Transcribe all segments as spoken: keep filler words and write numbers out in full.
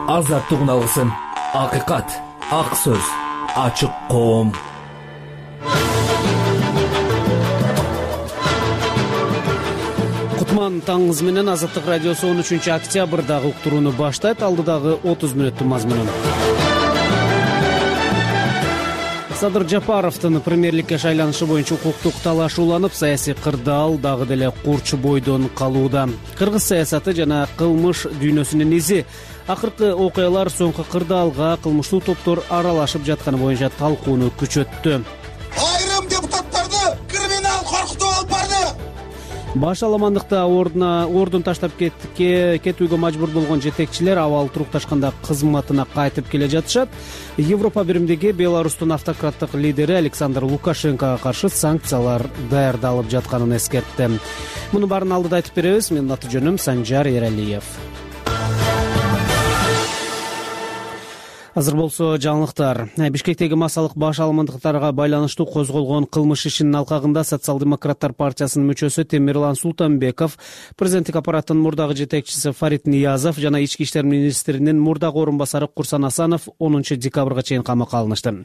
азаттыгын алгысың. Акыйкат, ак сөз, ачык коом. Кутман таңыңыз менен Азаттык радиосу он үчүнчү октябрдагы уктурууну баштайт. Алдыдагы отуз мүнөттүн мазмунун. Садыр Жапаровдун премьерликке шайланышы боюнча укуктук талаш уланып, саясий кырдаал дагы деле курч бойдон калууда. Кыргыз саясаты жана кылмыш дүйнөсүнүн изи. Акыркы окуялар соңку кырдаалга кылмыштуу топтор аралашып жатканы боюнча талкууну күчөттү. Айрым депутаттарды криминал коркутуп алып барды. Баш аламандыкта ордуна ордун таштап кетүүгө мажбур болгон жетекчилер абал турукташканда кызматына кайтып келе жатышат. Европа биримдиги Беларустун автократтык лидери Александр Лукашенкого каршы санкциялар даярдалып жатканын эскертти. Муну баарын алдыда айтып беребиз. Менин аты жөнүм Санжар Эралиев. Азыр болсо жаңылыктар. Бишкектеги массалык баш аламандыктарга байланыштуу козголгон кылмыш ишинин алкагында Социал-демократтар партиясынын мүчөсү Темирлан Султанбеков, президенттик аппараттын мурдагы жетекчиси Фарид Ниязов жана ички иштер министринин мурдагы орун басары Курсан Асанов онунчу декабрга чейин камакка алынышты.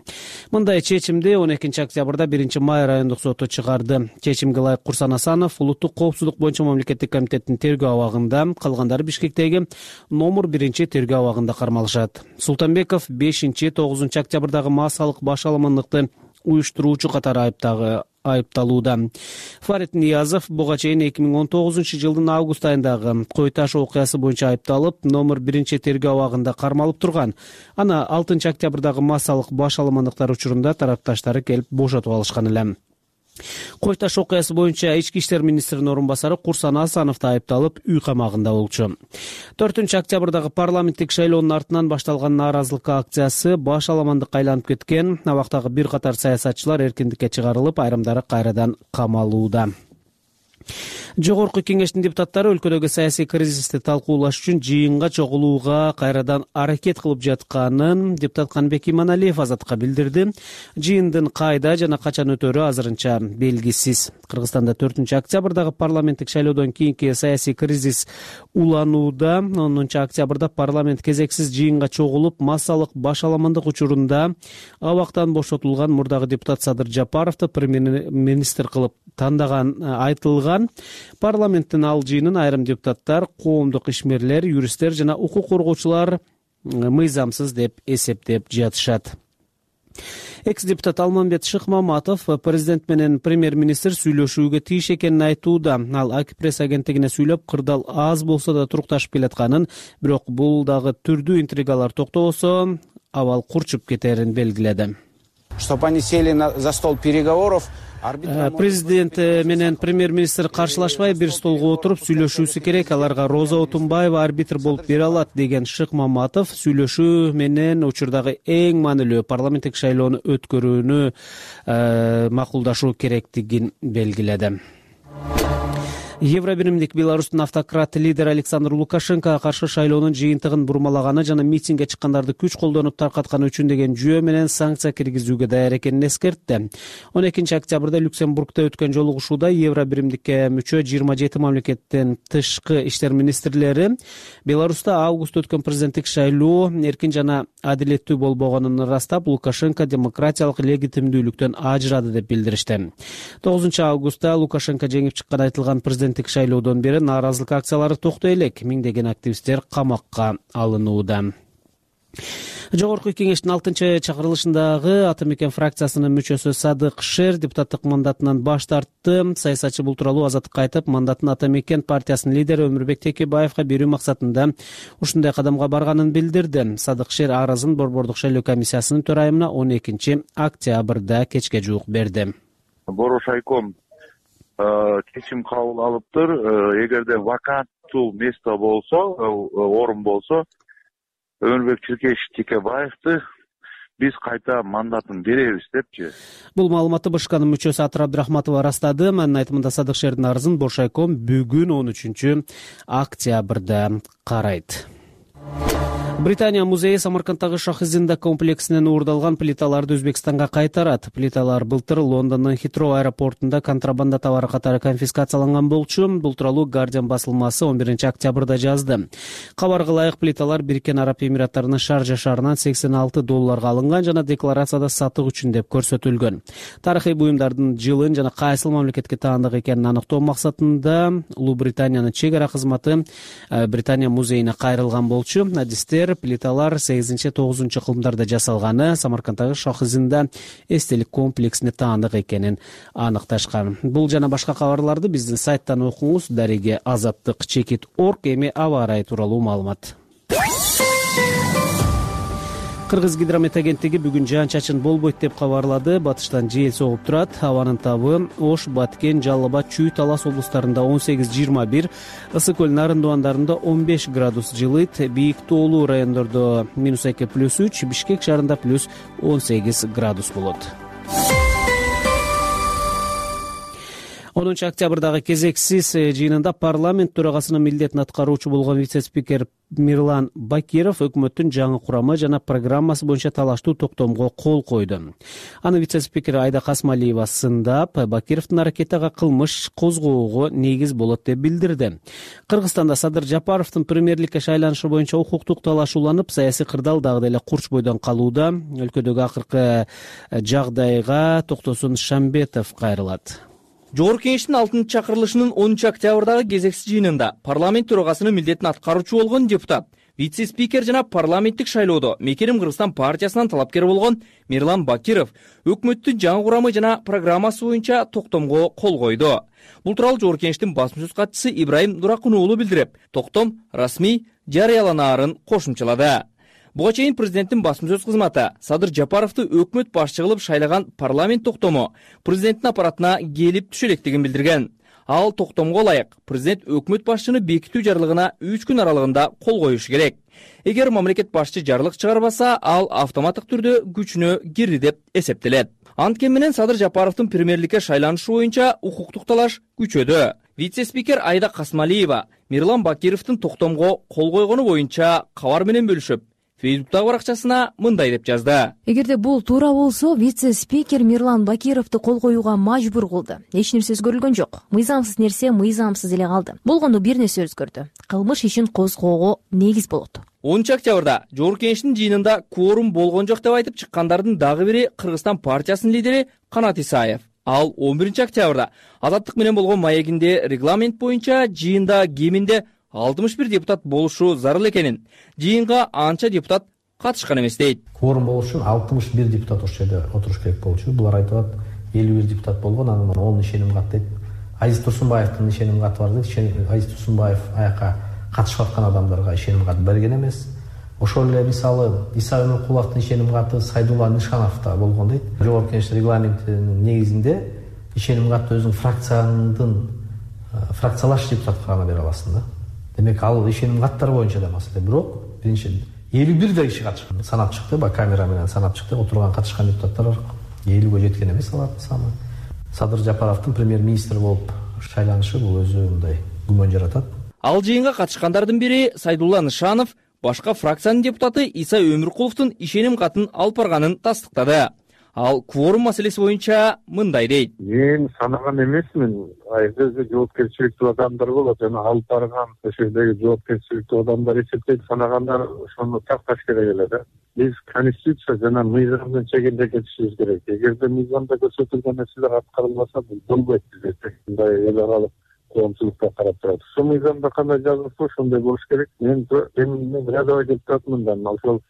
Мындай чечимди он экинчи октябрда биринчи май райондук соту чыгарды. Чечимге ылайык Курсан Асанов улуттук коопсуздук боюнча мамлекеттик комитеттин тергөө абагында, калгандары Бишкектеги номер биринчи тергөө абагында кармалышат. Султанбеков бешинчи тогузунчу октябрдагы массалык баш аламандыкты уюштуруучу катары айыптагы айыпталууда. Фарид Ниязов буга чейин эки миң он тогузунчу жылдын август айындагы Кой таш окуясы боюнча айыпталып, номер биринчи тергөө абагында кармалып турган. Аны алтынчы октябрдагы массалык баш аламандыктар учурунда тарапташтары келип бошотуп алышкан эле. Кой таш окуясы боюнча ички иштер министринин орун басары Курсан Асанов да айыпталып, үй камагында болчу. төртүнчү октябрдагы парламенттик шайлоонун артынан башталган нааразылык акциясы баш аламандыкка айланып кеткен. Абактагы бир катар саясатчылар эркиндикке чыгарылып, айрымдары кайрадан камалууда. Жогорку кеңештин депутаттары өлкөдөгү саясий кризисти талкуулаш үчүн жыйынга чогулууга кайрадан аракет кылып жатканын депутат Канбек Иманалиев Азаттыкка билдирди. Жыйындын кайда жана качан өтөрү азырынча белгисиз. Кыргызстанда төртүнчү октябрдагы парламенттик шайлоодон кийинки саясий кризис уланууда. онунчу октябрда парламент кезексиз жыйынга чогулуп, массалык баш аламандык учурунда абактан бошотулган мурдагы депутат Садыр Жапаровду премьер-министр кылып тандаган айтылган. Парламенттин ал жыйынын айрым депутаттар, коомдук ишмерлер, юристтер жана укук коргоочулар мыйзамсыз деп эсептеп жатышат. Экс-депутат Алмамбет Шыкмаматов президент менен премьер-министр сүйлөшүүгө тийиш экенин айтууда. Ал Акипресс агенттигине сүйлөп, кырдаал аз болсо да турукташып келатканын, бирок бул дагы түрдүү интригалар токтобосо абал курчуп кетерин белгиледи. Чтобы они сели за стол переговоров. Президент менен премьер-министр каршылашпай бир столго отуруп сүйлөшүүсү керек. Аларга Роза Отунбаева арбитр болуп бере алат деген Шыкмаматов сүйлөшүү менен учурдагы эң маанилүү парламенттик шайлоону өткөрүүнү макулдашуу керектигин белгиледи. Евробиримдик Беларустун автократ лидери Александр Лукашенкого каршы шайлоонун жыйынтыгын бурмалаганы жана митингге чыккандарды күч колдонуп таркатканы үчүн деген жүйө менен санкция киргизүүгө даяр экенин эскертти. он экинчи октябрда Люксембургда өткөн жолугушууда Евробиримдикке мүчө жыйырма жети мамлекеттин тышкы иштер министрлери Беларуста август өткөн президенттик шайлоо эркин жана адилеттүү болбогонун ырастап, Лукашенко демократиялык легитимдүүлүктөн ажырады деп билдиришти. тогузунчу августта Лукашенко жеңип чыккан айтылган президент шайлоодон бери нааразылык акциялары токтой элек. Миңдеген активисттер камакка алынууда. Жогорку кеңештин алтынчы чакырылышындагы Ата Мекен фракциясынын мүчөсү Садык Шер депутаттык мандатынан баш тартты. Саясатчы бул тууралуу Азаттыкка айтып, мандатын Ата Мекен партиясынын лидери Өмүрбек Текебаевга берүү максатында ушундай кадамга барганын билдирди. Садык Шер арызын Борбордук шайлоо комиссиясынын төрайымына он экинчи октябрда кечке жуук берди. Борошайком чечим кабыл алыптыр. Эгерде ваканттуу место болсо, орун болсо, Өмүрбек Текебаевди биз кайта мандатын беребиз депчи. Бул маалыматты БШКнын мүчөсү Атыр Абдрахматова ырастады. Анын айтымында Садык Шердин арызын Боршайком бүгүн он үчүнчү октябрда карайт. Британия музейи Самаркандтагы Шахизинда комплексинен уурдалган плиталарды Өзбекстанга кайтарат. Плиталар былтыр Лондондун Хитроу аэропортунда контрабанда товары катары конфискацияланган болчу. Бул тууралуу Guardian басылмасы он биринчи октябрда жазды. Кабарга ылайык плиталар Бириккен Араб Эмираттарынын Шаржа шаарынан сексен алты долларга алынган жана декларацияда сатык үчүн деп көрсөтүлгөн. Тарыхый буюмдардын жылын жана кайсыл мамлекетке таандык экенин аныктоо максатында Улуу Британиянын чек ара кызматы Британия музейине кайрылган болчу. Адистер плиталар сегизинчи тогузунчу кылымдарда жасалганы, Самаркандтагы Шахизинда эстелик комплексине таандык экенин аныкташкан. Бул жана башка кабарларды биздин сайттан окуңуз. Дареге азаттык чекит точка орг. Эми аба ырайы тууралуу маалымат. Кыргыз гидромет агенттиги бүгүн жаан-чачын болбойт деп кабарлады. Батыштан жел согуп турат. Абанын табы Ош, Баткен, Жалал Абад, Чүй, Талас облустарында он сегиз жыйырма бир, Ысык көл Нарындыбандарында он беш градус жылыйт. Бийик тоолуу райондордо минус эки плюс үч, Бишкек шаарында плюс он сегиз градус болот. онунчу октябрдагы кезексиз жыйынында парламент төрагасынын милдетин аткаруучу болгон вице-спикер Мирлан Бакиров өкмөттүн жаңы курамы жана программасы боюнча талаштуу токтомго кол койду. Аны вице-спикер Айда Касмалиева сындап, Бакировдун аракети ага кылмыш козгоого негиз болот деп билдирди. Кыргызстанда Садыр Жапаровдун премьерликке шайланышы боюнча укуктук талашууланып, саясий кырдаал дагы деле курч бойдон калууда. Өлкөдөгү акыркы жагдайга Токтосун Шамбетов кайрылат. Жогорку Кеңештин алтынчы чакырылышынын онунчу октябрдагы кезексиз жыйынында парламент төрагасынын милдетин аткаруучу болгон депутат, вице-спикер жана парламенттик шайлоодо Мекерим Кыргызстан партиясынан талапкер болгон Мирлан Бакиров өкмөттүн жаңы курамы жана программасы боюнча токтомго кол койду. Бул тууралуу Жогорку Кеңештин басма сөз катчысы Ибраим Дуракун уулу билдирип, токтом расмий жарыяланаарын кошумчалады. Буга чейин президенттин басма сөз кызматы Садыр Жапаровду өкмөт башчы кылып шайлаган парламент токтому президенттин аппаратына келип түшө электигин билдирген. Ал токтомго ылайык президент өкмөт башчыны бекитүү жарлыгына үч күн аралыгында кол коюшу керек. Эгер мамлекет башчы жарлык чыгарбаса, ал автоматтык түрдө күчүнө кирди деп эсептелет. Анткени менен Садыр Жапаровдун премьерликке шайланышы боюнча укуктук талаш күчөдү. Вице-спикер Айда Касмалиева Мирлан Бакировдун токтомго кол койгону боюнча кабар менен бөлүшүп, Фейсбуктагы баракчасына мындай деп жазды. Эгерде бул туура болсо, вице-спикер Мирлан Бакировду кол коюуга мажбур кылды. Эч нерсе өзгөрүлгөн жок. Мыйзамсыз нерсе мыйзамсыз эле калды. Болгондо бир нерсе өзгөрдү. Кылмыш ишин козгоого негиз болот. онунчу октябрда Жогорку Кеңештин жыйынында кворум болгон жок деп айтып чыккандардын дагы бири Кыргызстан партиясынын лидери Канат Исаев. Ал он биринчи октябрда Азаттык менен болгон маегинде регламент боюнча жыйында кеминде алтымыш бир депутат болушу зарыл экенин, жыйынга анча депутат катышкан эмес дейт. Кворум болуш үчүн алтымыш бир депутат ошол жерде отуруш керек болчу. Булар айтып атат, элүү бир депутат болгон, анан он ишеним кат дейт. Азиз Турсунбаевдин ишеним каты бар дейт. Азиз Турсунбаев аяка катышып аткан адамдарга ишеним кат берген эмес. Ошол эле мисалы Иса Өмөркуловдун ишеним каты Сайдулла Нышановдо болгон дейт. Жогорку Кеңеш регламентинин негизинде ишеним катты өзүң фракциянын фракциялаш депутатка гана бере аласың да. Демек ал ишеним каттар боюнча да маселе. Бирок биринчи элүү бир да киши катышкан. Санап чыкты, ба камера менен санап чыкты. Отурган катышкан депутаттар элүүгө жеткен эмес алардын саны. Садыр Жапаровдун премьер-министр болуп шайланышы бул өзү мындай күмөн жаратат. Ал жыйынга катышкандардын бири Сайдулла Нышанов, башка фракциянын депутаты Иса Өмөркуловдун ишеним катын алып барганын тастыктады. Ал кворум маселеси боюнча мындай дейт. Мен санаган эмесмин. Айдызы жоопкерчиликтүү адамдар болот. Жана алып барган ошондой жоопкерчиликтүү адамдар эсептейт, санагандар ошону такташ керек эле да. Биз конституция жана мыйзамдын чегинде кетишибиз керек. Эгерде мыйзамда көрсөтүлгөн нерселер аткарылбаса, бул болбойт бизде. Мындай эл аралык коомчулукка карап турат. Ошол мыйзамда кандай жазылса, ошондой болуш керек. Мен мен рядовой депутатмын да, ошол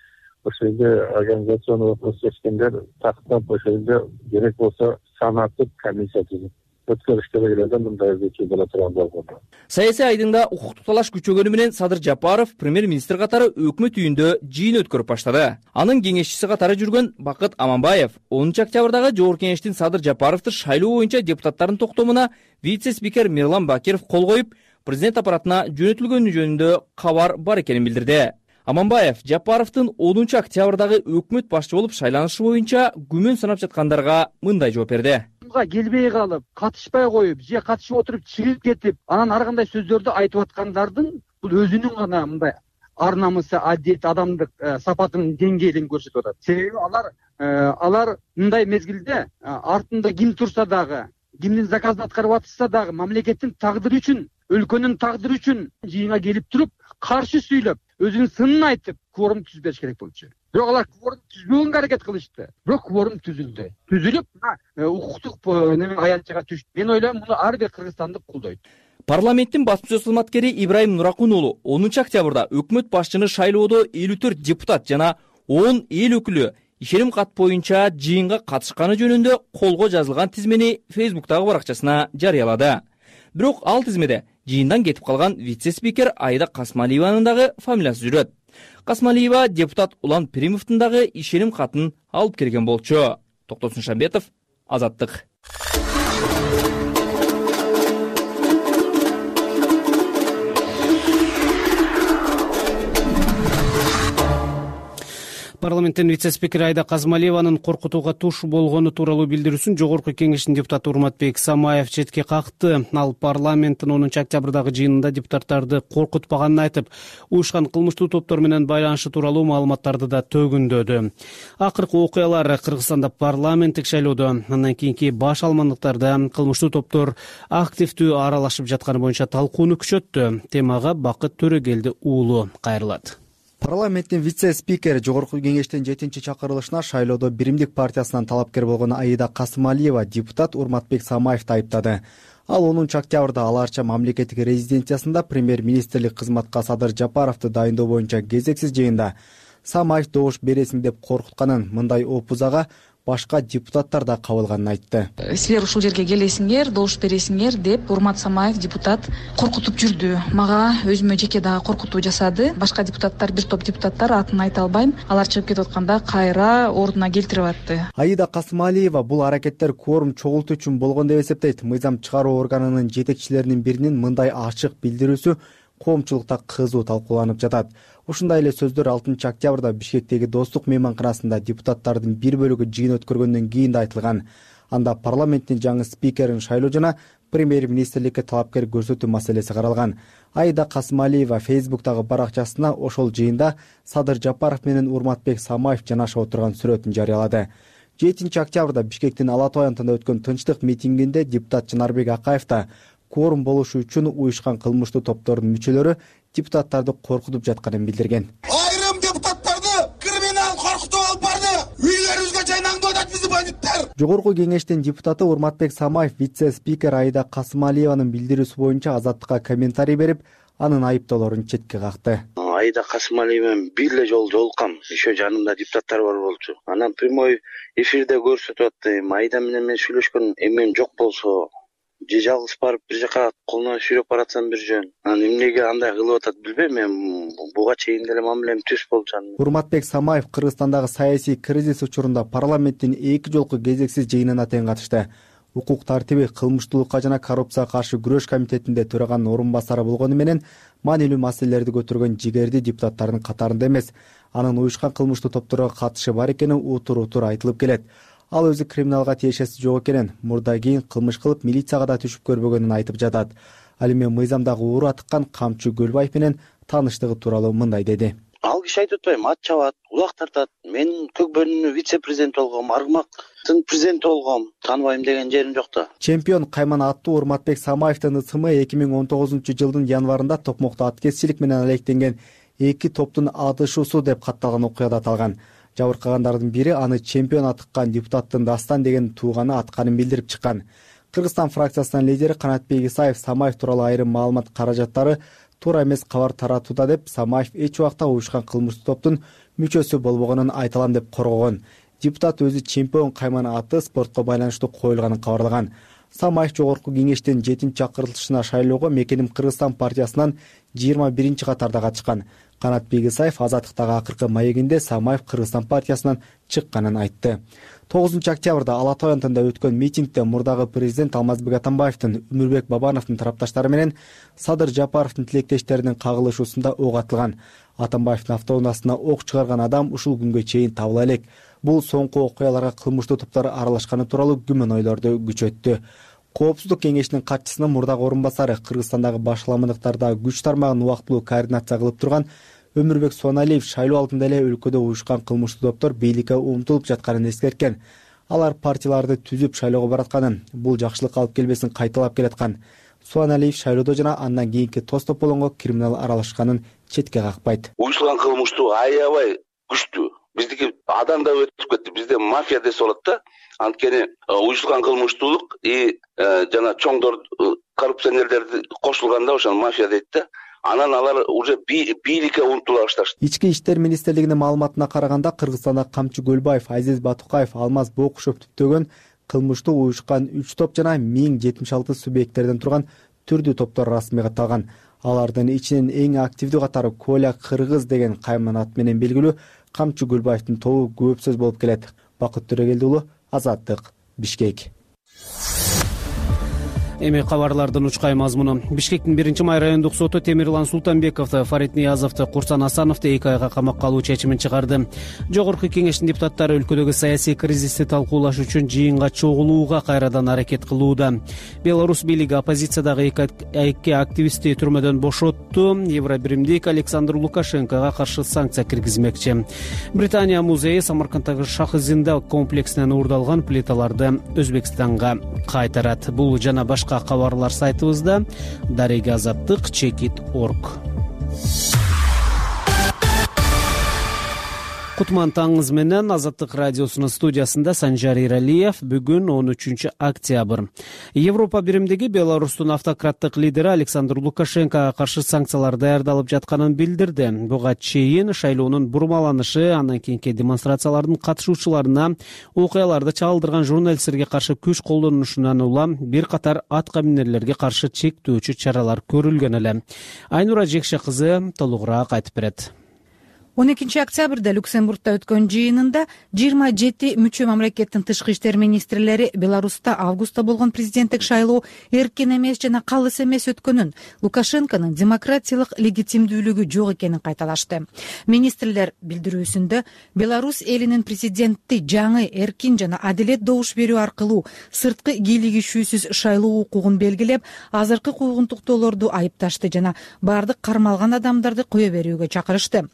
ошол жерде организационный вопрос чечкендер тактап ошол жерде керек болсо санатып комиссия түзүп өткөрүш керек эле да, мындай өзгөчө боло турган болгондо. Саясий айдыңда укуктук талаш күчөгөнү менен Садыр Жапаров премьер-министр катары өкмөт үйүндө жыйын өткөрүп баштады. Анын кеңешчиси катары жүргөн Бакыт Аманбаев онунчу октябрдагы Жогорку Кеңештин Садыр Жапаровду шайлоо боюнча депутаттардын токтомуна вице-спикер Мирлан Бакиров кол коюп, президент аппаратына жөнөтүлгөнү жөнүндө кабар бар экенин билдирди. Аманбаев Жапаровдун онунчу октябрдагы өкмөт башчы болуп шайланышы боюнча күмөн санап жаткандарга мындай жооп берди. Келбей калып, катышпай коюп, же катышып отуруп чыгып кетип, анан ар кандай сөздөрдү айтып аткандардын бул өзүнүн гана мындай ар намысы, адет, адамдык сапатынын деңгээлин көрсөтүп атат. Себеби алар алар мындай мезгилде артында ким турса дагы, кимдин заказын аткарып атышса дагы мамлекеттин тагдыры үчүн, өлкөнүн тагдыры үчүн жыйынга келип туруп, каршы сүйлөп, өзүнүн сынын айтып, кворум түзбеш керек болчу. Бирок алар кворум түзбөгөнгө аракет кылышты. Бирок кворум түзүлдү. Түзүлүп, укуктук неме аянтчага түштү. Мен ойлойм, муну ар бир кыргызстандык колдойт. Парламенттин басма сөз кызматкери Ибрайым Нуракунұлы онунчу октябрда өкмөт башчыны шайлоодо элүү төрт депутат жана он эл өкүлү ишеним кат боюнча жыйынга катышканы жөнүндө колго жазылган тизмени Фейсбуктагы баракчасына жарыялады. Бирок ал тизмеде жыйындан кетип калган вице-спикер Аида Касмалиеванын дагы фамилиясы жүрөт. Касмалиева депутат Улан Пиримовдун дагы ишеним катын алып келген болчу. Токтосун Шамбетов, Азаттык. Парламенттин вице-спикери Аида Касмалиеванын коркутууга туш болгону тууралуу билдирүүсүн жогорку кеңештин депутаты Урматбек Самаев четке какты. Ал парламенттин онунчу октябрдагы жыйынында депутаттарды коркутпаганын айтып, уюшкан кылмыштуу топтор менен байланышы тууралуу маалыматтарды да төгүндөдү. Акыркы окуялар Кыргызстанда парламенттик шайлоодо андан кийинки баш алмандыктарда кылмыштуу топтор активдүү аралашып жатканы боюнча талкууну күчөттү. Темага Бакыт Төрөгелди уулу кайрылат. Парламенттин вице-спикери жогорку кеңештин жетинчи чакырылышына шайлоодо Биримдик партиясынан талапкер болгон Аида Касмалиева депутат Урматбек Самаевди айыптады. Ал онунчу октябрда аларча мамлекеттик резиденциясында премьер-министрлик кызматка Садыр Жапаровду дайындоо боюнча кезексиз жыйында Самаев добуш бересиң деп коркутканын, мындай опузага башка депутаттар да кабылганын айтты. Силер ушул жерге келесиңер, добуш бересиңер деп Урмат Самаев депутат коркутуп жүрдү. Мага өзүмө жеке дагы коркутуу жасады. Башка депутаттар, бир топ депутаттар, атын айта албайм, алар чыгып кетип атканда кайра ордуна келтирип атты. Аида Касмалиева бул аракеттер кворум чогултуу үчүн болгон деп эсептейт. Мыйзам чыгаруу органынын жетекчилеринин биринин мындай ачык билдирүүсү коомчулукта кызуу талкууланып жатат. Ушундай эле сөздөр алтынчы октябрда Бишкектеги Достук мейманканасында депутаттардын бир бөлүгү жыйын өткөргөндөн кийин да айтылган. Анда парламенттин жаңы спикерин шайлоо жана премьер-министрликке талапкер көрсөтүү маселеси каралган. Аида Касмалиева Фейсбуктагы баракчасына ошол жыйында Садыр Жапаров менен Урматбек Самаев жанашып отурган сүрөтүн жарыялады. жетинчи октябрда Бишкектин Ала Тоо аянтында өткөн тынчтык митингинде депутат Жанарбек Акаев да кворум болушу үчүн уюшкан кылмыштуу топтордун мүчөлөрү депутаттарды коркутуп жатканын билдирген. Айрым депутаттарды криминал коркутуп алып барды. Үйлөрүбүзгө жайнаңдып атат бизди бандиттер. Жогорку кеңештин депутаты Урматбек Самаев вице-спикер Аида Касмалиеванын билдирүүсү боюнча Азаттыкка комментарий берип, анын айыптоолорун четке какты. Аида Касмалиева менен бир эле жолу жолуккам. Еще жанымда депутаттар бар болчу. Анан прямой эфирде көрсөтүп аттым. Аида менен мен сүйлөшкөн эмен жок болсо, же жалгыз барып бир жака колуна сүйрөп баратсам бир жөн. Анан эмнеге андай кылып атат билбейм, мен буга чейин деле мамилем түз болчу. Урматбек Самаев Кыргызстандагы саясий кризис учурунда парламенттин эки жолку кезексиз жыйынына тең катышты. Укук тартиби, кылмыштуулукка жана коррупцияга каршы күрөш комитетинде төраганын орун басары болгону менен маанилүү маселелерди көтөргөн жигерди депутаттардын катарында эмес. Анын уюшкан кылмыштуу топторго катышы бар экени утур-утур айтылып келет. Ал өзү криминалга тиешеси жок экенин, мурда кийин кылмыш кылып милицияга да түшүп көрбөгөнүн айтып жатат. Ал эми мыйзамдагы уура тыккан Камчы Көлбаев менен тааныштыгы тууралуу мындай деди. Ал киши айтып атпайбы, ат чабат, улак тартат. Мен көк бөлүмүнүн вице-президенти болгом, Аргымактын президенти болгом. Тааныбайм деген жерим жок да. Чемпион кайман аттуу Урматбек Самаевдин ысымы эки миң он тогузунчу жылдын январында Токмокто аткезчилик менен алектенген эки топтун атышуусу деп катталган окуяда аталган. Жабыркагандардын бири аны чемпион атыккан депутаттын Дастан деген тууганы атканын билдирип чыккан. Кыргызстан фракциясынын лидери Канатбек Исаев Самаев тууралуу айрым маалымат каражаттары туура эмес кабар таратууда деп, Самаев эч убакта уюшкан кылмыштуу топтун мүчөсү болбогонун айталам деп коргогон. Депутат өзү чемпион кайман аты спортко байланыштуу коюлганын кабарлаган. Самаев жогорку кеңештин жетинчи чакырылышына шайлоого Мекеним Кыргызстан партиясынан жыйырма биринчи катарда катышкан. Канатбек Исаев Азаттыктагы акыркы маегинде Самаев Кыргызстан партиясынан чыкканын айтты. тогузунчу октябрда Ала Тоо аянтында өткөн митингде мурдагы президент Алмазбек Атамбаевдин, Өмүрбек Бабановдун тарапташтары менен Садыр Жапаровдун тилектештеринин кагылышуусунда ок атылган. Атамбаевдин автоунаасына ок чыгарган адам ушул күнгө чейин табыла элек. Бул соңку окуяларга кылмыштуу топтор аралашканы тууралуу күмөн ойлорду күчөттү. Коопсуздук кеңешинин катчысынын мурдагы орун басары, Кыргызстандагы башаламандыктарда күч тармагын убактылуу координация кылып турган Өмүрбек Суаналиев шайлоо алдында эле өлкөдө уюшкан кылмыштуу топтор бийликке умтулуп жатканын эскерткен. Алар партияларды түзүп шайлоого баратканын, бул жакшылыкка алып келбесин кайталап келаткан. Суаналиев шайлоодо жана андан кийинки тостополонго криминал аралашканын четке какпайт. Уюшкан кылмыштуу аябай күчтүү. Биздики адам да өтүп кетти. Бизде мафия десе болот да. Анткени уюшкан кылмыштуулук и жана чоңдор коррупционерлер кошулганда ошону мафия дейт да. Анан алар уже бийликке умтула башташты. Ички иштер министрлигинин маалыматына караганда, Кыргызстанда Камчы Көлбаев, Азиз Батукаев, Алмаз Бокушев түптөгөн кылмыштуу уюшкан үч топ жана миң жетимиш алты субъекттерден турган түрдүү топтор расмий катталган. Алардын ичинен эң активдүү катары Коля Кыргыз деген кайман ат менен белгилүү Камчы Көлбаевдин тобу көп сөз болуп келет. Бакыт Төрөгелди уулу, Азаттык, Бишкек. Эми кабарлардын учкай мазмуну. Бишкектин биринчи май райондук соту Темирлан Султанбековду, Фарид Ниязовду, Курсан Асановду эки айга камакка алуу чечимин чыгарды. Жогорку кеңештин депутаттары өлкөдөгү саясий кризисти талкуулаш үчүн жыйынга чогулууга кайрадан аракет кылууда. Беларусь бийлиги оппозициядагы эки активистти түрмөдөн бошотту. Евробиримдик Александр Лукашенкого каршы санкция киргизмекчи. Британия музейи Самарканддагы Шах-Зинда комплексинен уурдалган плиталарды Өзбекстанга кайтарат. Бул жана башка кабарлар сайтыбызда. Дарега Азаттык, чекит точка орг. Кутман таңыңыз менен. Азаттык радиосунун студиясында Санжар Иралиев. Бүгүн он үчүнчү октябрь. Европа биримдиги Беларустун автократтык лидери Александр Лукашенкого каршы санкциялар даярдалып жатканын билдирди. Буга чейин шайлоонун бурмаланышы, андан кийинки демонстрациялардын катышуучуларына окуяларды чагылдырган журналисттерге каршы күч колдонушунан улам бир катар атка минерлерге каршы чектөөчү чаралар көрүлгөн эле. Айнура Жекше кызы толугураак айтып берет. он экинчи октябрда Люксембургда өткөн жыйынында жыйырма жети мүчө мамлекеттин тышкы иштер министрлери Беларуста августта болгон президенттик шайлоо эркин эмес жана калыс эмес өткөнүн, Лукашенконун демократиялык легитимдүүлүгү жок экенин кайталашты. Министрлер билдирүүсүндө Беларусь элинин президентти жаңы, эркин жана адилет добуш берүү аркылуу сырткы кийлигишүүсүз шайлоо укугун белгилеп, азыркы куугунтуктоолорду айыпташты жана бардык кармалган адамдарды кое берүүгө чакырышты.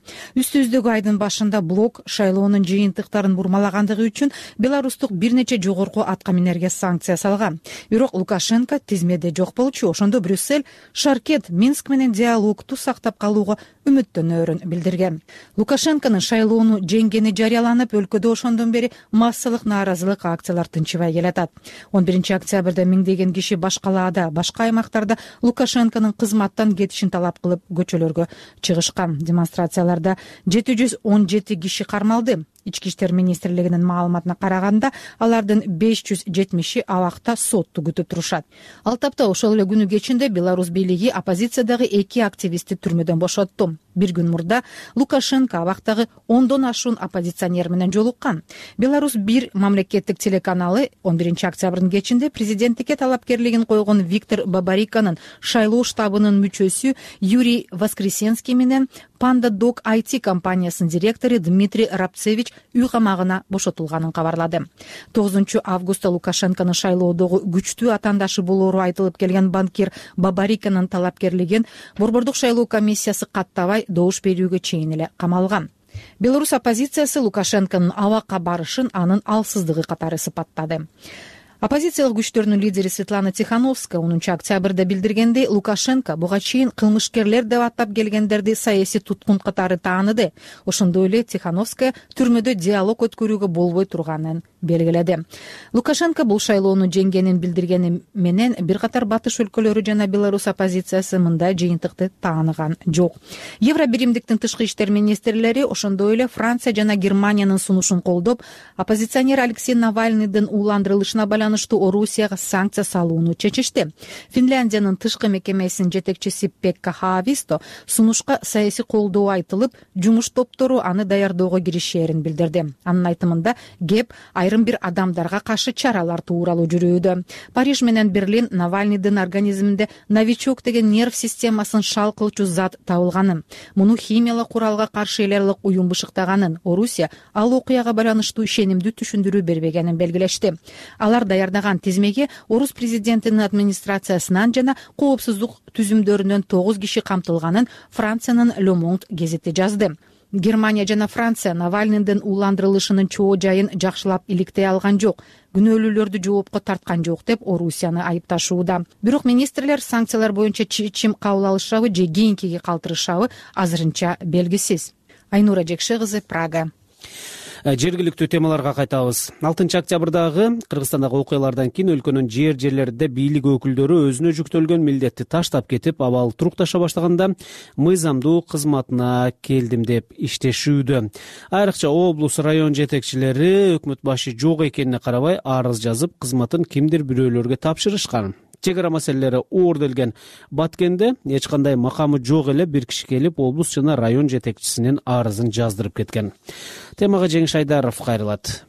Үстүбүздөгү айдын башында блок шайлоонун жыйынтыктарын бурмалагандыгы үчүн беларустук бир нече жогорку атка минерге санкция салган. Бирок Лукашенко тизмеде жок болчу. Ошондо Брюссель Шаркет Минск менен диалогду сактап калууга үмүттөнөөрүн билдирген. Лукашенконун шайлоону жеңгени жарыяланып, өлкөдө ошондон бери массалык нааразылык акциялар тынчыбай келатат. он биринчи октябрда миңдеген киши баш калаада, башка аймактарда Лукашенконун кызматтан кетишин талап кылып көчөлөргө чыгышкан. Демонстрацияларда жети жүз он жети киши кармалды. Ички иштер министрлигинин маалыматына караганда, алардын беш жүз жетимиши абакта сотту күтүп турушат. Ал тапта ошол эле күнү кечинде Беларусь бийлиги оппозициядагы эки активистти түрмөдөн бошотту. Бир күн мурда Лукашенко абактагы ондон ашуун оппозиционер менен жолуккан. Беларусь бир мамлекеттик телеканалы он биринчи октябрдын кечинде президенттикке талапкерлигин койгон Виктор Бабариканын шайлоо штабынын мүчөсү Юрий Воскресенский менен Panda Dog ай ти компаниясынын директору Дмитрий Рабцевич үй камагына бошотулганын кабарлады. тогузунчу августта Лукашенконун шайлоодогу күчтүү атаандашы болоору айтылып келген банкир Бабариканын талапкерлигин Борбордук шайлоо комиссиясы каттабай добуш берүүгө чейин эле камалган. Беларусь оппозициясы Лукашенконун абакка барышын анын алсыздыгы катары сыпаттады. Оппозициялык күчтөрдүн лидери Светлана Тихановская онунчу октябрда билдиргендей, Лукашенко буга чейин кылмышкерлер деп аттап келгендерди саясий туткун катары тааныды. Ошондой эле Тихановская түрмөдө диалог өткөрүүгө болбой турганын белгиледи. Лукашенко бул шайлоону жеңгенин билдиргени менен бир катар батыш өлкөлөрү жана Беларусь оппозициясы мындай жыйынтыкты тааныган жок. Евробиримдиктин тышкы иштер министрлери ошондой эле Франция жана Германиянын сунушун колдоп, оппозиционер Алексей Навальныйдын ууландырылышына байланыштуу Орусияга санкция салууну чечишти. Финляндиянын тышкы мекемесинин жетекчиси Пекка Хааvisто сунушка саясий колдоо айтылып, жумуш топтору аны даярдоого киришээрин билдирди. Анын айтымында кеп айрым айрым бир адамдарга каршы чаралар тууралуу жүрүүдө. Париж менен Берлин Навальныйдын организминде новичок деген нерв системасын шал кылчу зат табылганын, муну химиялык куралга каршы элерлик уюм бышыктаганын, Орусия ал окуяга байланыштуу ишенимдүү түшүндүрүү бербегенин белгилешти. Алар даярдаган тизмеге орус президентинин администрациясынан жана коопсуздук түзүмдөрүнөн тогуз киши камтылганын Франциянын Le Monde гезити жазды. Германия жана Франция Навальныйдын ууландырылышынын чоо жайын жакшылап иликтей алган жок, күнөөлүүлөрдү жоопко тарткан жок деп Орусияны айыпташууда. Бирок министрлер санкциялар боюнча чечим кабыл алышабы же кийинкиге калтырышабы азырынча белгисиз. Айнура Жекше кызы, Прага. Жергиликтүү темаларга кайтабыз. алтынчы октябрдагы Кыргызстандагы окуялардан кийин өлкөнүн жер жерлеринде бийлик өкүлдөрү өзүнө жүктөлгөн милдетти таштап кетип, абал турукташа баштаганда мыйзамдуу кызматына келдим деп иштешүүдө. Айрыкча облус район жетекчилери өкмөт башы жок экенине карабай арыз жазып, кызматын кимдир бирөөлөргө тапшырышкан. Чек ара маселелери оор делген Баткенде эч кандай макамы жок эле бир киши келип, облус жана район жетекчисинин арызын жаздырып кеткен. Темага Жеңиш Айдаров кайрылат.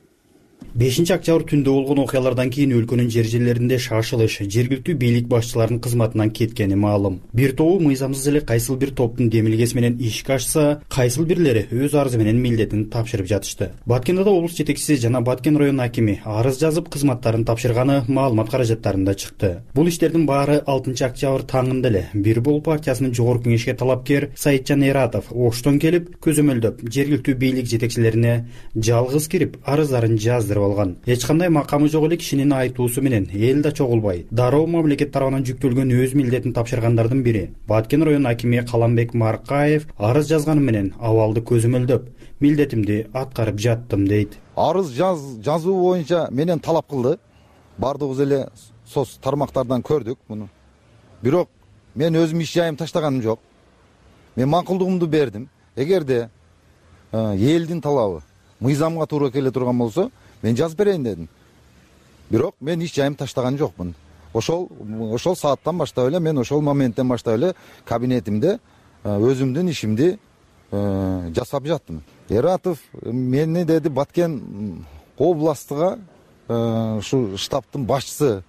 бешинчи октябрь түндө болгон окуялардан кийин өлкөнүн жер жерлеринде шашылыш, жергиликтүү бийлик башчыларынын кызматынан кеткени маалым. Бир тобу мыйзамсыз эле кайсыл бир топтун демилгеси менен ишке ашса, кайсыл бирлери өз арызы менен милдетин тапшырып жатышты. Баткенде да облус жетекчиси жана Баткен район акими арыз жазып, кызматтарын тапшырганы маалымат каражаттарында чыкты. Бул иштердин баары алтынчы октябрь таңында эле Бир Бол партиясынын жогорку кеңешке талапкер Саитжан Эратов Оштон келип, көзөмөлдөп, жергиликтүү бийлик жетекчилерине жалгыз кирип, арыздарын жаздырып алган. Эч кандай макамы жок эле кишинин айтуусу менен эл да чогулбай, дароо мамлекет тарабынан жүктөлгөн өз милдетин тапшыргандардын бири Баткен район акими Каламбек Маркаев арыз жазганы менен абалды көзөмөлдөп, милдетимди аткарып жаттым дейт. Арыз жаз жазуу боюнча менен талап кылды. Бардыгыбыз эле соц тармактардан көрдүк муну. Бирок мен өзүм иш жайым таштаганым жок. Мен макулдугумду бердим. Эгерде элдин талабы мыйзамга туура келе турган болсо, мен жазып берейин дедим. Бирок мен иш жайым таштаган жокмун. Ошол ошол сааттан баштап эле, мен ошол моменттен баштап эле кабинетимде өзүмдүн ишимди жасап жаттым. Эратов мени деди Баткен областыга ушу штабтын башчысы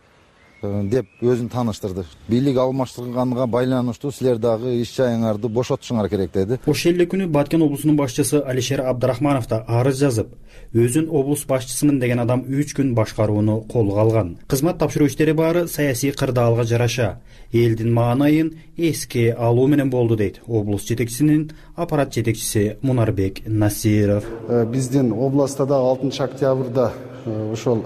деп өзүн тааныштырды. Бийлик алмаштырганга байланыштуу силер дагы иш жайыңарды бошотушуңар керек деди. Ошол эле күнү Баткен облусунун башчысы Алишер Абдрахманов да арыз жазып, өзүн облус башчысымын деген адам үч күн башкарууну колго алган. Кызмат тапшыруу иштери баары саясий кырдаалга жараша элдин маанайын эске алуу менен болду дейт облус жетекчисинин аппарат жетекчиси Мунарбек Насиров. Биздин областта да алтынчы октябрда ошол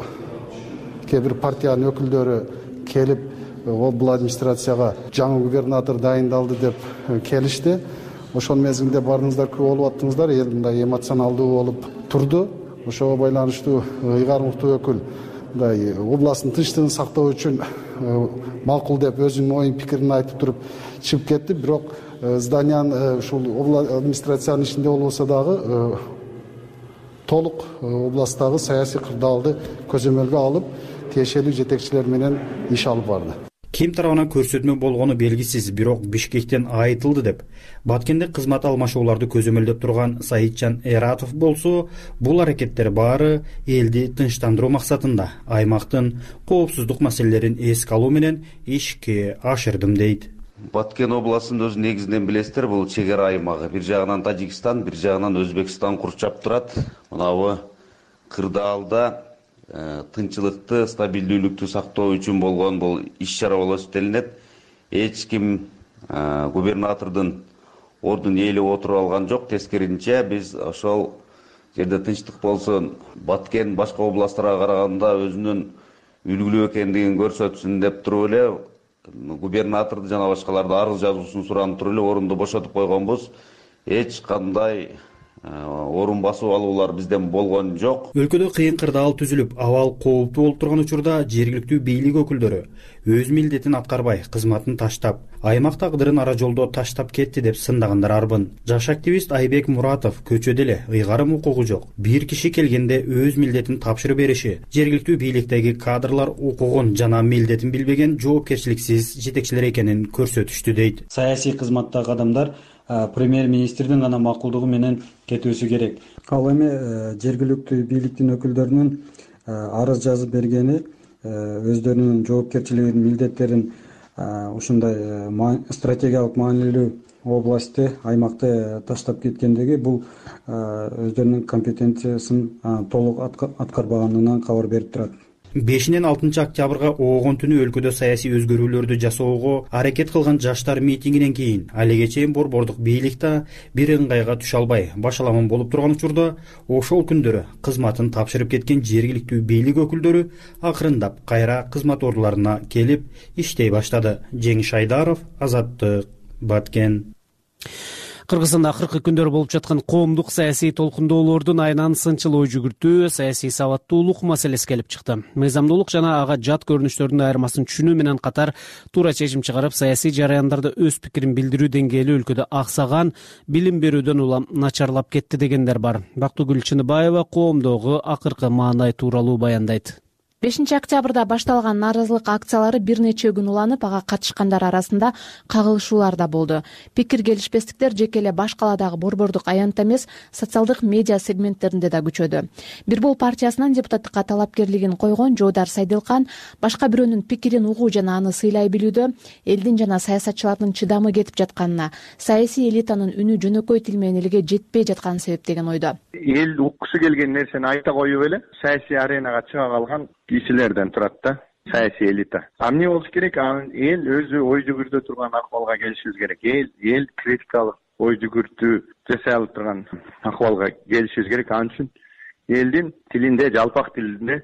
кээ бир партиянын өкүлдөрү келип, облус администрацияга жаңы губернатор дайындалды деп келишти. Ошол мезгилде барыңыздар күбө болуп аттыңыздар, эл мындай эмоционалдуу болуп турду. Ошого байланыштуу ыйгар муктуу өкүл мындай областтын тынчтыгын сактоо үчүн макул деп өзүнүн оюн пикирин айтып туруп чыгып кетти. Бирок зданиянын ушул облус администрациянын ичинде болбосо дагы толук областтагы саясий кырдаалды көзөмөлгө алып, тиешелүү жетекчилер менен иш алып барды. Ким тарабынан көрсөтмө болгону белгисиз, бирок Бишкектен айтылды деп Баткенде кызмат алмашууларды көзөмөлдөп турган Саитжан Эратов болсо, бул аракеттер баары элди тынчтандыруу максатында аймактын коопсуздук маселелерин эске алуу менен ишке ашырдым дейт. Баткен областында өзү негизинен билесиздер, бул чек ара аймагы. Бир жагынан Тажикстан, бир жагынан Өзбекстан курчап турат. Мынабы кырдаалда тынчылыкты, стабилдүүлүктү сактоо үчүн болгон бул иш-чара болуп эсептелинет. Эч ким губернатордун ордун ээлеп отуруп алган жок. Тескерисинче биз ошол жерде тынчтык болсун, Баткен башка областтарга караганда өзүнүн үлгүлүү экендигин көрсөтсүн деп туруп эле губернаторду жана башкаларды арыз жазуусун суранып туруп эле орунду бошотуп койгонбуз. Эч кандай орун басып алуулар бизден болгон жок. Өлкөдө кыйын кырдаал түзүлүп, абал кооптуу болуп турган учурда жергиликтүү бийлик өкүлдөрү өз милдетин аткарбай, кызматын таштап, аймак тагдырын ара жолдо таштап кетти деп сындагандар арбын. Жаш активист Айбек Муратов көчөдө эле ыйгарым укугу жок, бир киши келгенде өз милдетин тапшырып бериши, жергиликтүү бийликтеги кадрлар укугун жана милдетин билбеген жоопкерчиликсиз жетекчилер экенин көрсөтүштү дейт. Саясий кызматтагы адамдар премьер-министрдин гана макулдугу менен кетүүсү керек. Ал эми жергиликтүү бийликтин өкүлдөрүнүн арыз жазып бергени өздөрүнүн жоопкерчилигин, милдеттерин ушундай стратегиялык маанилүү областты, аймакты таштап кеткендиги бул өздөрүнүн компетенциясын толук аткарбаганынан кабар берип турат. бешинен алтынчы октябрга оогон түнү өлкөдө саясий өзгөрүүлөрдү жасоого аракет кылган жаштар митингинен кийин алиге чейин борбордук бийлик да бир ыңгайга түшө албай башаламан болуп турган учурда ошол күндөрү кызматын тапшырып кеткен жергиликтүү бийлик өкүлдөрү акырындап кайра кызмат ордуларына келип иштей баштады. Жеңиш Айдаров, Азаттык, Баткен. Кыргызстанда акыркы күндөр болуп жаткан коомдук саясий толкундоолордун айынан сынчыл ой жүгүртүү, саясий сабаттуулук маселеси келип чыкты. Мыйзамдуулук жана ага жат көрүнүштөрдүн айырмасын түшүнүү менен катар туура чечим чыгарып, саясий жараяндарда өз пикирин билдирүү деңгээли өлкөдө аксаган, билим берүүдөн улам начарлап кетти дегендер бар. Бактыгүл Чыныбаева коомдогу акыркы маанай тууралуу баяндайт. бешинчи октябрда башталган нааразылык акциялары бир нече күн уланып, ага катышкандар арасында кагылышуулар да болду. Пикир келишпестиктер жеке эле баш каладагы борбордук аянтта эмес, социалдык медиа сегменттеринде да күчөдү. Бир Бол партиясынын депутаттыкка талапкерлигин койгон Жоодар Сайдылкан башка бирөөнүн пикирин угуу жана аны сыйлай билүүдө элдин жана саясатчылардын чыдамы кетип жатканына, саясий элитанын үнү жөнөкөй тил менен элге жетпей жатканы себеп деген ойдо. Эл уккусу келген нерсени айта коюп эле саясий аренага чыга калган кишилерден турат да, саясий элита. А эмне болуш керек? Эл өзү ой жүгүртө турган акыбалга келишибиз керек. Эл эл критикалык ой жүгүртүү жасай алып турган акыбалга келишибиз керек. Ал үчүн элдин тилинде, жалпак тилинде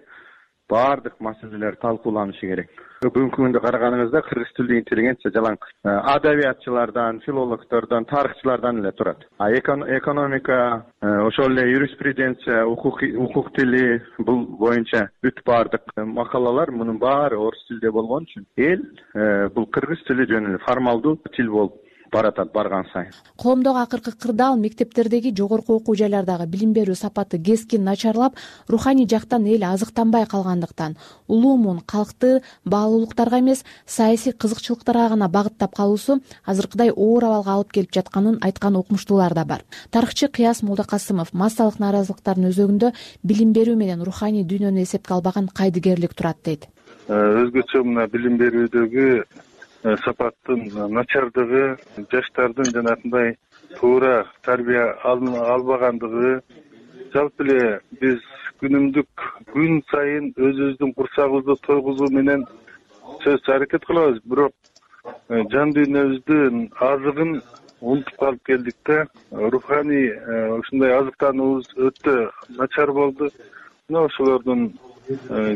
баардык маселелер талкууланышы керек. Бүгүнкү күндө караганыңызда кыргыз тилдүү интеллигенция жалаң адабиятчылардан, филологдордон, тарыхчылардан эле турат. А экономика, ошол эле юриспруденция, укук укук тили бул боюнча бүт баардык макалалар мунун баары орус тилде болгон үчүн эл бул кыргыз тили жөн эле формалдуу тил болуп баратат барган сайын. Коомдогу акыркы кырдаал мектептердеги жогорку окуу жайлардагы билим берүү сапаты кескин начарлап, руханий жактан эл азыктанбай калгандыктан, улуу муун калкты баалуулуктарга эмес, саясий кызыкчылыктарга гана багыттап калуусу азыркыдай оор абалга алып келип жатканын айткан окумуштуулар да бар. Тарыхчы Кыяс Молдокасымов массалык нааразылыктардын өзөгүндө билим берүү менен руханий дүйнөнү эсепке албаган кайдыгерлик турат дейт. Өзгөчө мына билим берүүдөгү сапаттын начардыгы, жаштардын жанагындай туура тарбия албагандыгы, жалпы эле биз күнүмдүк күн сайын өзүбүздүн курсагыбызды тойгузуу менен сөз аракет кылабыз, бирок жан дүйнөбүздүн азыгын унутуп калып келдик да. Руханий ушундай азыктануубуз өтө начар болду. Мына ошолордун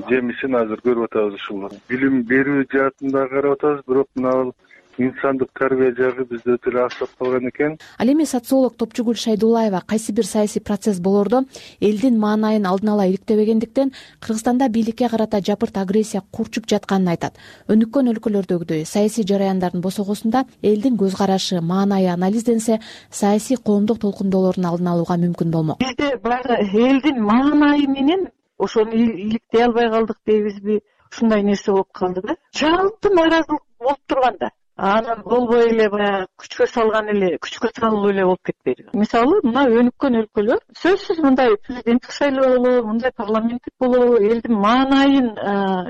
жемисин азыр көрүп атабыз. Ушул билим берүү жаатында карап атабыз, бирок мына инсандык тарбия жагы бизде өтө эле аксап калган экен. Ал эми социолог Топчугүл Шайдуллаева кайсы бир саясий процесс болордо элдин маанайын алдын ала иликтебегендиктен Кыргызстанда бийликке карата жапырт агрессия курчуп жатканын айтат. Өнүккөн өлкөлөрдөгүдөй саясий жараяндардын босогосунда элдин көз карашы, маанайы анализденсе, саясий коомдук толкундоолордун алдын алууга мүмкүн болмок. Бизде баягы элдин маанайы менен ошону иликтей албай калдык дейбизби? Ушундай нерсе болуп калды да. Жалпы нааразылык болуп турганда, анан болбой эле баягы күчкө салган эле, күчкө салуу эле болуп кетпейди. Мисалы, мына өнүккөн өлкөлөр сөзсүз мындай президенттик шайлоолор, мындай парламенттик болобу, элдин маанайын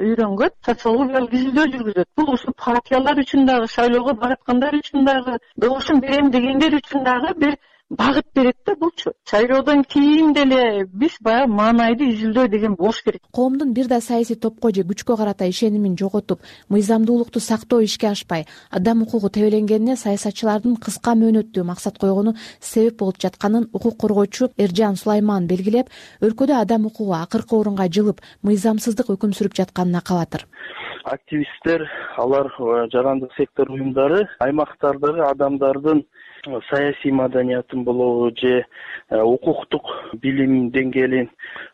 үйрөнгөн социологиялык изилдөө жүргүзөт. Бул ушул партиялар үчүн дагы, шайлоого бараткандар үчүн дагы, добушун берем дегендер үчүн дагы бир багыт берет да булчу. Шайлоодон кийин деле биз баягы маанайды изилдөө деген болуш керек. Коомдун бир да саясий топко же күчкө карата ишенимин жоготуп, мыйзамдуулукту сактоо ишке ашпай, адам укугу тебеленгенине саясатчылардын кыска мөөнөттүү максат койгону себеп болуп жатканын укук коргоочу Эржан Сулайман белгилеп, өлкөдө адам укугу акыркы орунга жылып, мыйзамсыздык өкүм сүрүп жатканына кабатыр. Активисттер, алар жарандык сектор уюмдары аймактардагы адамдардын саясий маданиятын болобу же укуктук билим деңгээлин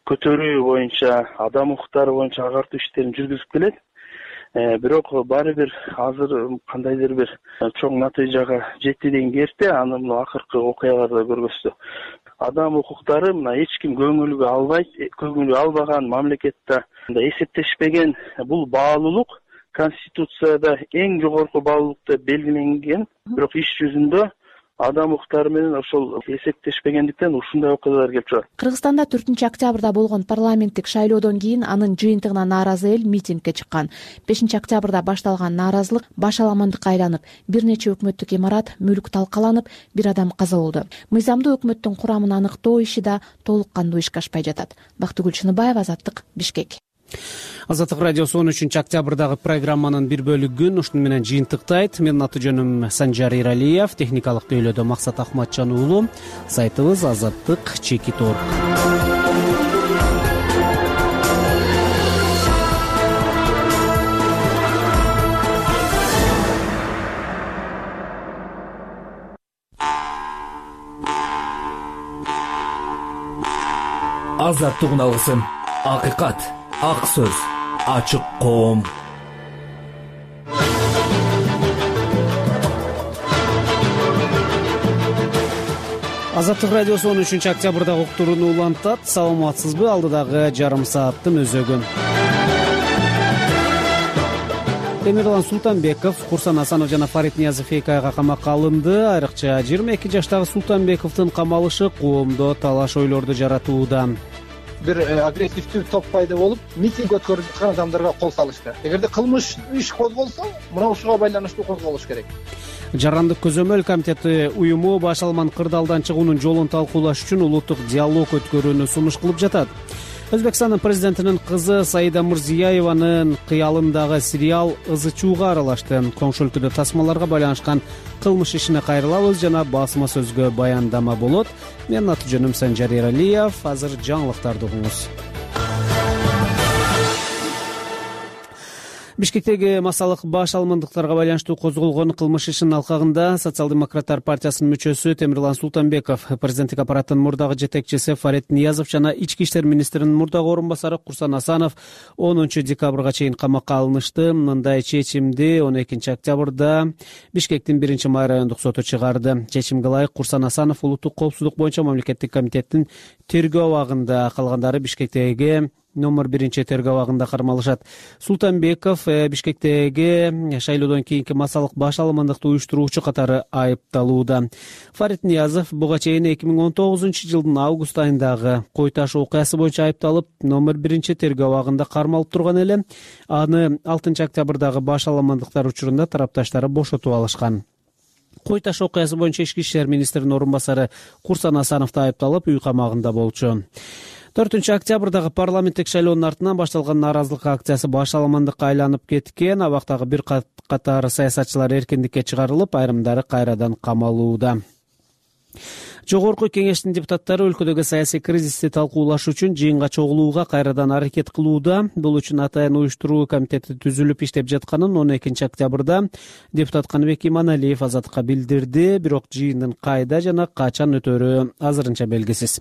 көтөрүү боюнча, адам укуктары боюнча агартуу иштерин жүргүзүп келет. Бирок баары бир азыр кандайдыр бир чоң натыйжага жетти деген эрте, аны мына акыркы окуяларда көргөздү. Адам укуктары мына эч ким көңүлгө албайт, көңүлгө албаган мамлекетте эсептешпеген бул баалуулук Конституцияда эң жогорку баалуулук деп белгиленген, бирок иш жүзүндө адам укуктары менен ошол эсептешпегендиктен ушундай окуялар келип чыгат. Кыргызстанда төртүнчү октябрда болгон парламенттик шайлоодон кийин анын жыйынтыгына нааразы эл митингге чыккан. бешинчи октябрда башталган нааразылык башаламандыкка айланып, бир нече өкмөттүк имарат, мүлк талкаланып, бир адам каза болду. Мыйзамдуу өкмөттүн курамын аныктоо иши да толук кандуу ишке ашпай жатат. Бактыгүл Чыныбаева, Азаттык, Бишкек. Азаттык радиосу он үчүнчү октябрдагы программанын бир бөлүгүн ушуну менен жыйынтыктайт. Менин аты жөнүм Санжар Иралиев, техникалык тейлөөдө Максат Ахматжан уулу, сайтыбыз азаттык чекит точка орг. Азаттык алгысын, акыйкат, ак сөз, ачык коом. Азаттык радиосу он үчүнчү октябрдагы уктурууну улантат. Саламатсызбы? Алдыдагы жарым сааттын өзөгүн. Темирлан Султанбеков, Курсан Асанов жана Фарид Ниязов эки айга камакка алынды. Айрыкча жыйырма эки жаштагы Султанбековдун камалышы коомдо талаш ойлорду жаратууда. Бир агрессивдүү топ пайда болуп, митинг өткөрүп жаткан адамдарга кол салышты. Эгерде кылмыш иш козголсо, мына ушуга байланыштуу козголуш керек. Жарандык көзөмөл комитети уюму Башалман кырдаалдан чыгуунун жолун талкуулаш үчүн улуттук диалог өткөрүүнү сунуш кылып жатат. Өзбекстандын президентинин кызы Саида Мурзиеванын кыялындагы сериал ызы чууга аралашты. Коңшу өлкөдө тасмаларга байланышкан кылмыш ишине кайрылабыз жана басма сөзгө баяндама болот. Менин аты жөнүм Санжар Иралиев. Азыр жаңылыктарды угуңуз. Бишкектеги массалык баш алмандыктарга байланыштуу козголгон кылмыш ишинин алкагында Социал-демократтар партиясынын мүчөсү Темирлан Султанбеков, президенттик аппараттын мурдагы жетекчиси Фарид Ниязов жана ички иштер министринин мурдагы орун басары Курсан Асанов онунчу декабрга чейин камакка алынышты. Мындай чечимди он экинчи октябрда Бишкектин биринчи май райондук соту чыгарды. Чечимге ылайык Курсан Асанов улуттук коопсуздук боюнча мамлекеттик комитеттин тергөө абагында, калгандары Бишкектеги номер биринчи тергөө абагында кармалышат. Султанбеков Бишкектеги шайлоодон кийинки массалык баш алмандыкты уюштуруучу катары айыпталууда. Фарид Ниязов буга чейин эки миң он тогузунчу жылдын август айындагы Кой таш окуясы боюнча айыпталып, номер биринчи тергөө абагында кармалып турган эле. Аны алтынчы октябрдагы баш алмандыктар учурунда тарапташтары бошотуп алышкан. Кой таш окуясы боюнча ички иштер министринин орун басары Курсан Асанов да айыпталып, үй камагында болчу. төртүнчү октябрдагы парламенттик шайлоонун артынан башталган нааразылык акциясы баш алмандыкка айланып кеткен. Абактагы бир катар саясатчылар эркиндикке чыгарылып, айрымдары кайрадан камалууда. Жогорку кеңештин депутаттары өлкөдөгү саясий кризисти талкуулаш үчүн жыйынга чогулууга кайрадан аракет кылууда. Бул үчүн атайын уюштуруу комитети түзүлүп иштеп жатканын он экинчи октябрда депутат Каныбек Иманалиев Азаттыкка билдирди. Бирок жыйындын кайда жана качан өтөрү азырынча белгисиз.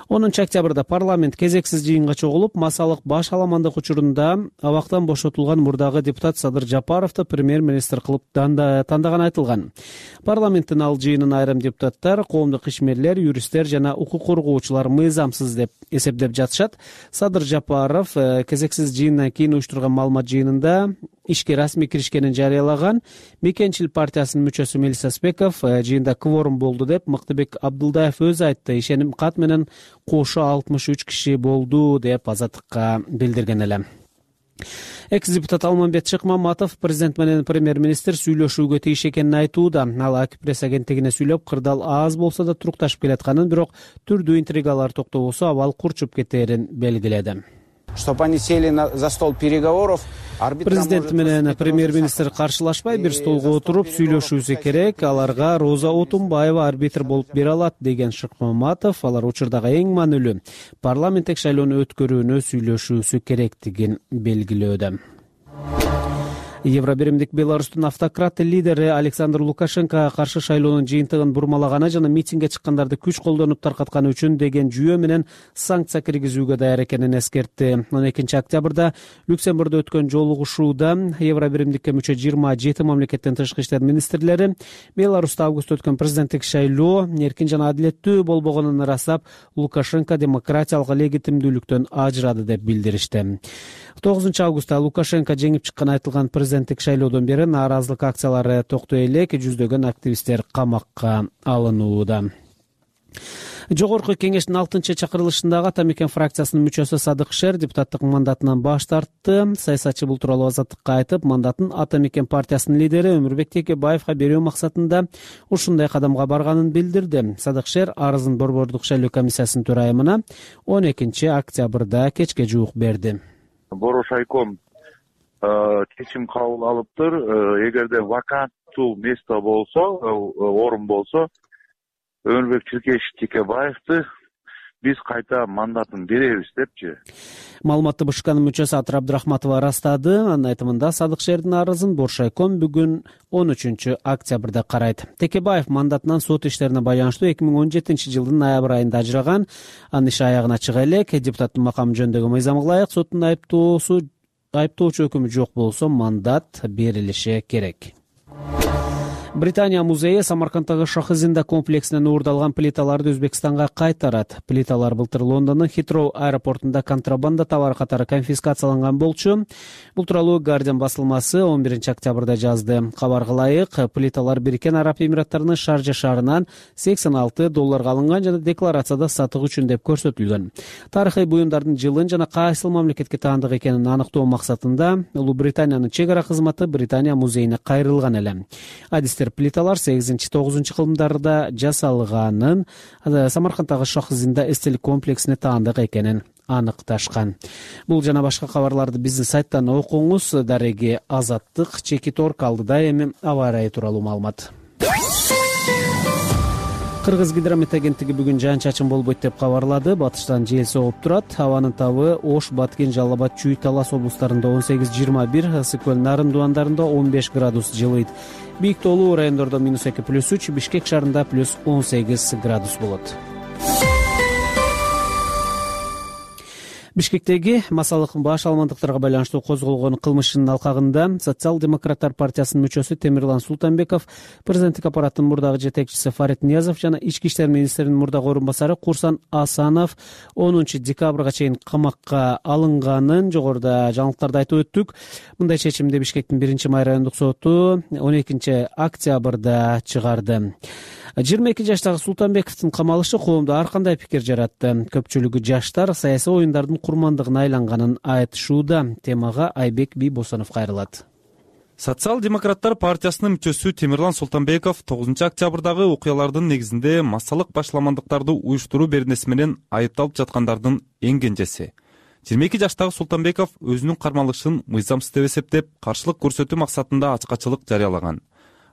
онунчу октябрда парламент кезексиз жыйынга чогулуп, массалык баш аламандык учурунда абактан бошотулган мурдагы депутат Садыр Жапаровду премьер-министр кылып тандаганы айтылган. Парламенттин ал жыйынын айрым депутаттар, коомдук ишмерлер, юристтер жана укук коргоочулар мыйзамсыз деп эсептеп жатышат. Садыр Жапаров кезексиз жыйындан кийин уюштурган маалымат жыйынында ишке расмий киришкенин жарыялаган. Мекенчил партиясынын мүчөсү Мелис Аспеков жыйында кворум болду деп Мактыбек Абдулдаев өзү айтты. Ишеним кат менен кошо алтымыш үч киши болду деп Азаттыкка билдирген эле. Экс-депутат Алмамбет Шыкмаматов президент менен премьер-министр сүйлөшүүгө тийиш экенин айтууда. Ал АК пресс агенттигине сүйлөп, кырдаал аз болсо да турукташып келатканын, бирок түрдүү интригалар токтобосо абал курчуп кетээрин белгиледи. Чтобы они сели за стол переговоров. Президент менен премьер-министр каршылашпай бир столго отуруп сүйлөшүүсү керек. Аларга Роза Отунбаева арбитр болуп бере алат деген Шыкмаматов, алар учурдагы эң маанилүү парламенттик шайлоону өткөрүүнү сүйлөшүүсү керектигин белгилөөдө. Евробиримдик Беларустун автократ лидери Александр Лукашенко каршы шайлоонун жыйынтыгын бурмалаганы жана митингге чыккандарды күч колдонуп таркатканы үчүн деген жүйө менен санкция киргизүүгө даяр экенин эскертти. он экинчи октябрда Люксембургда өткөн жолугушууда Евробиримдикке мүчө жыйырма жети мамлекеттин тышкы иштер министрлери Беларуста августта өткөн президенттик шайлоо эркин жана адилеттүү болбогонун ырастап, Лукашенко демократиялык легитимдүүлүктөн ажырады деп билдиришти. тогузунчу августта Лукашенко жеңип чыкканы айтылган президент президенттик шайлоодон бери нааразылык акциялары токтой элек, жүздөгөн активисттер камакка алынууда. Жогорку кеңештин алтынчы чакырылышындагы Ата мекен фракциясынын мүчөсү Садык Шер депутаттык мандатынан баш тартты. Саясатчы бул тууралуу Азаттыкка айтып, мандатын Ата мекен партиясынын лидери Өмүрбек Текебаевга берүү максатында ушундай кадамга барганын билдирди. Садык Шер арызын Борбордук шайлоо комиссиясынын төрайымына он экинчи октябрда кечке жуук берди. Борошайком чечим кабыл алыптыр. Эгерде ваканттуу место болсо, орун болсо, Өмүрбек Текебаевди биз кайта мандатын беребиз депчи. Маалыматты БШКнын мүчөсү Атыр Абдрахматова ырастады. Анын айтымында Садык Шердин арызын Боршайком бүгүн он үчүнчү октябрда карайт. Текебаев мандатынан сот иштерине байланыштуу эки миң он жетинчи жылдын ноябрь айында ажыраган. Анын иши аягына чыга элек. Депутаттын макамы жөнүндөгү мыйзамга ылайык соттун айыптоосу айыптоочу өкүмү жок болсо мандат берилиши керек. Британия музейи Самарканддагы Шахизинда комплексинен уурдалган плиталарды Өзбекстанга кайтарат. Плиталар былтыр Лондондун Хитроу аэропортунда контрабанда товары катары конфискацияланган болчу. Бул тууралуу Guardian басылмасы он биринчи октябрда жазды. Кабарга ылайык, плиталар Бириккен Араб Эмираттарынын Шаржа шаарынан сексен алты долларга алынган жана декларацияда сатык үчүн деп көрсөтүлгөн. Тарыхый буюмдардын жылын жана кайсыл мамлекетке таандык экенин аныктоо максатында Улуу Британиянын чек ара кызматы Британия музейине кайрылган эле. Адистер плиталар сегизинчи тогузунчу кылымдарда жасалганын, Самарканддагы Шахизинда эстелик комплексине таандык экенин аныкташкан. Бул жана башка кабарларды биздин сайттан окуңуз. Дареги Азаттык чеки торк алдыда. Эми аба ырайы тууралуу маалымат. Кыргыз гидромет агенттиги бүгүн жаан-чачын болбойт деп кабарлады. Батыштан жел согуп турат. Абанын табы Ош, Баткен, Жалал Абад, Чүй, Талас облустарында он сегиз жыйырма бир, Ысык көл, Нарын дуандарында он беш градус жылыйт. Бийик тоолуу райондордо минус эки плюс үч, Бишкек шаарында плюс он сегиз градус болот. Бишкектеги массалык баш алмандыктарга байланыштуу козголгон кылмыштын алкагында Социал-демократтар партиясынын мүчөсү Темирлан Султанбеков, президенттик аппараттын мурдагы жетекчиси Фарид Ниязов жана ички иштер министринин мурдагы орун басары Курсан Асанов онунчу декабрга чейин камакка алынганын жогоруда жаңылыктарда айтып өттүк. Мындай чечимди Бишкектин биринчи май райондук соту он экинчи октябрда чыгарды. жыйырма эки жаштагы Султанбековдун камалышы коомдо ар кандай пикир жаратты. Көпчүлүгү жаштар саясий оюндардын курмандыгына айланганын айтышууда. Темага Айбек Бийбосонов кайрылат. Социал-демократтар партиясынын мүчөсү Темирлан Султанбеков тогузунчу октябрдагы окуялардын негизинде массалык башламандыктарды уюштуруу беренеси менен айыпталып жаткандардын эң кенжеси. жыйырма эки жаштагы Султанбеков өзүнүн кармалышын мыйзамсыз деп эсептеп, каршылык көрсөтүү максатында ачкачылык жарыялаган.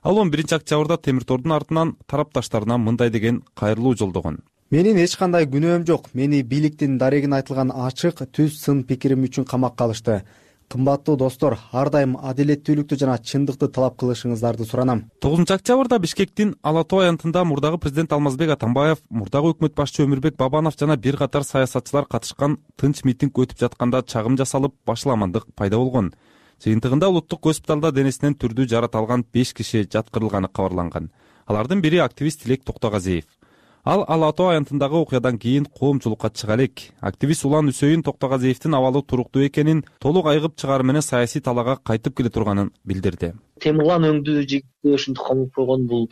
Ал он биринчи октябрда темир тордун артынан тарапташтарына мындай деген кайрылуу жолдогон. Менин эч кандай күнөөм жок. Мени бийликтин дарегин айтылган ачык, түз сын пикирим үчүн камакка алышты. Кымбаттуу достор, ар дайым адилеттүүлүктү жана чындыкты талап кылышыңыздарды суранам. тогузунчу октябрда Бишкектин Ала тоо аянтында мурдагы президент Алмазбек Атамбаев, мурдагы өкмөт башчы Өмүрбек Бабанов жана бир катар саясатчылар катышкан тынч митинг өтүп жатканда чагым жасалып, башламандык пайда болгон. Жыйынтыгында улуттук госпиталда денесинен түрдүү жарат алган беш киши жаткырылганы кабарланган. Алардын бири активист Тилек Токтогазиев. Ал Ала тоо аянтындагы окуядан кийин коомчулукка чыга элек. Активист Улан Үсөйүн Токтогазиевдин абалы туруктуу экенин, толук айыгып чыгары менен саясий талаага кайтып келе турганын билдирди. Темирлан өңдүү жигитти ушинтип камап койгон бул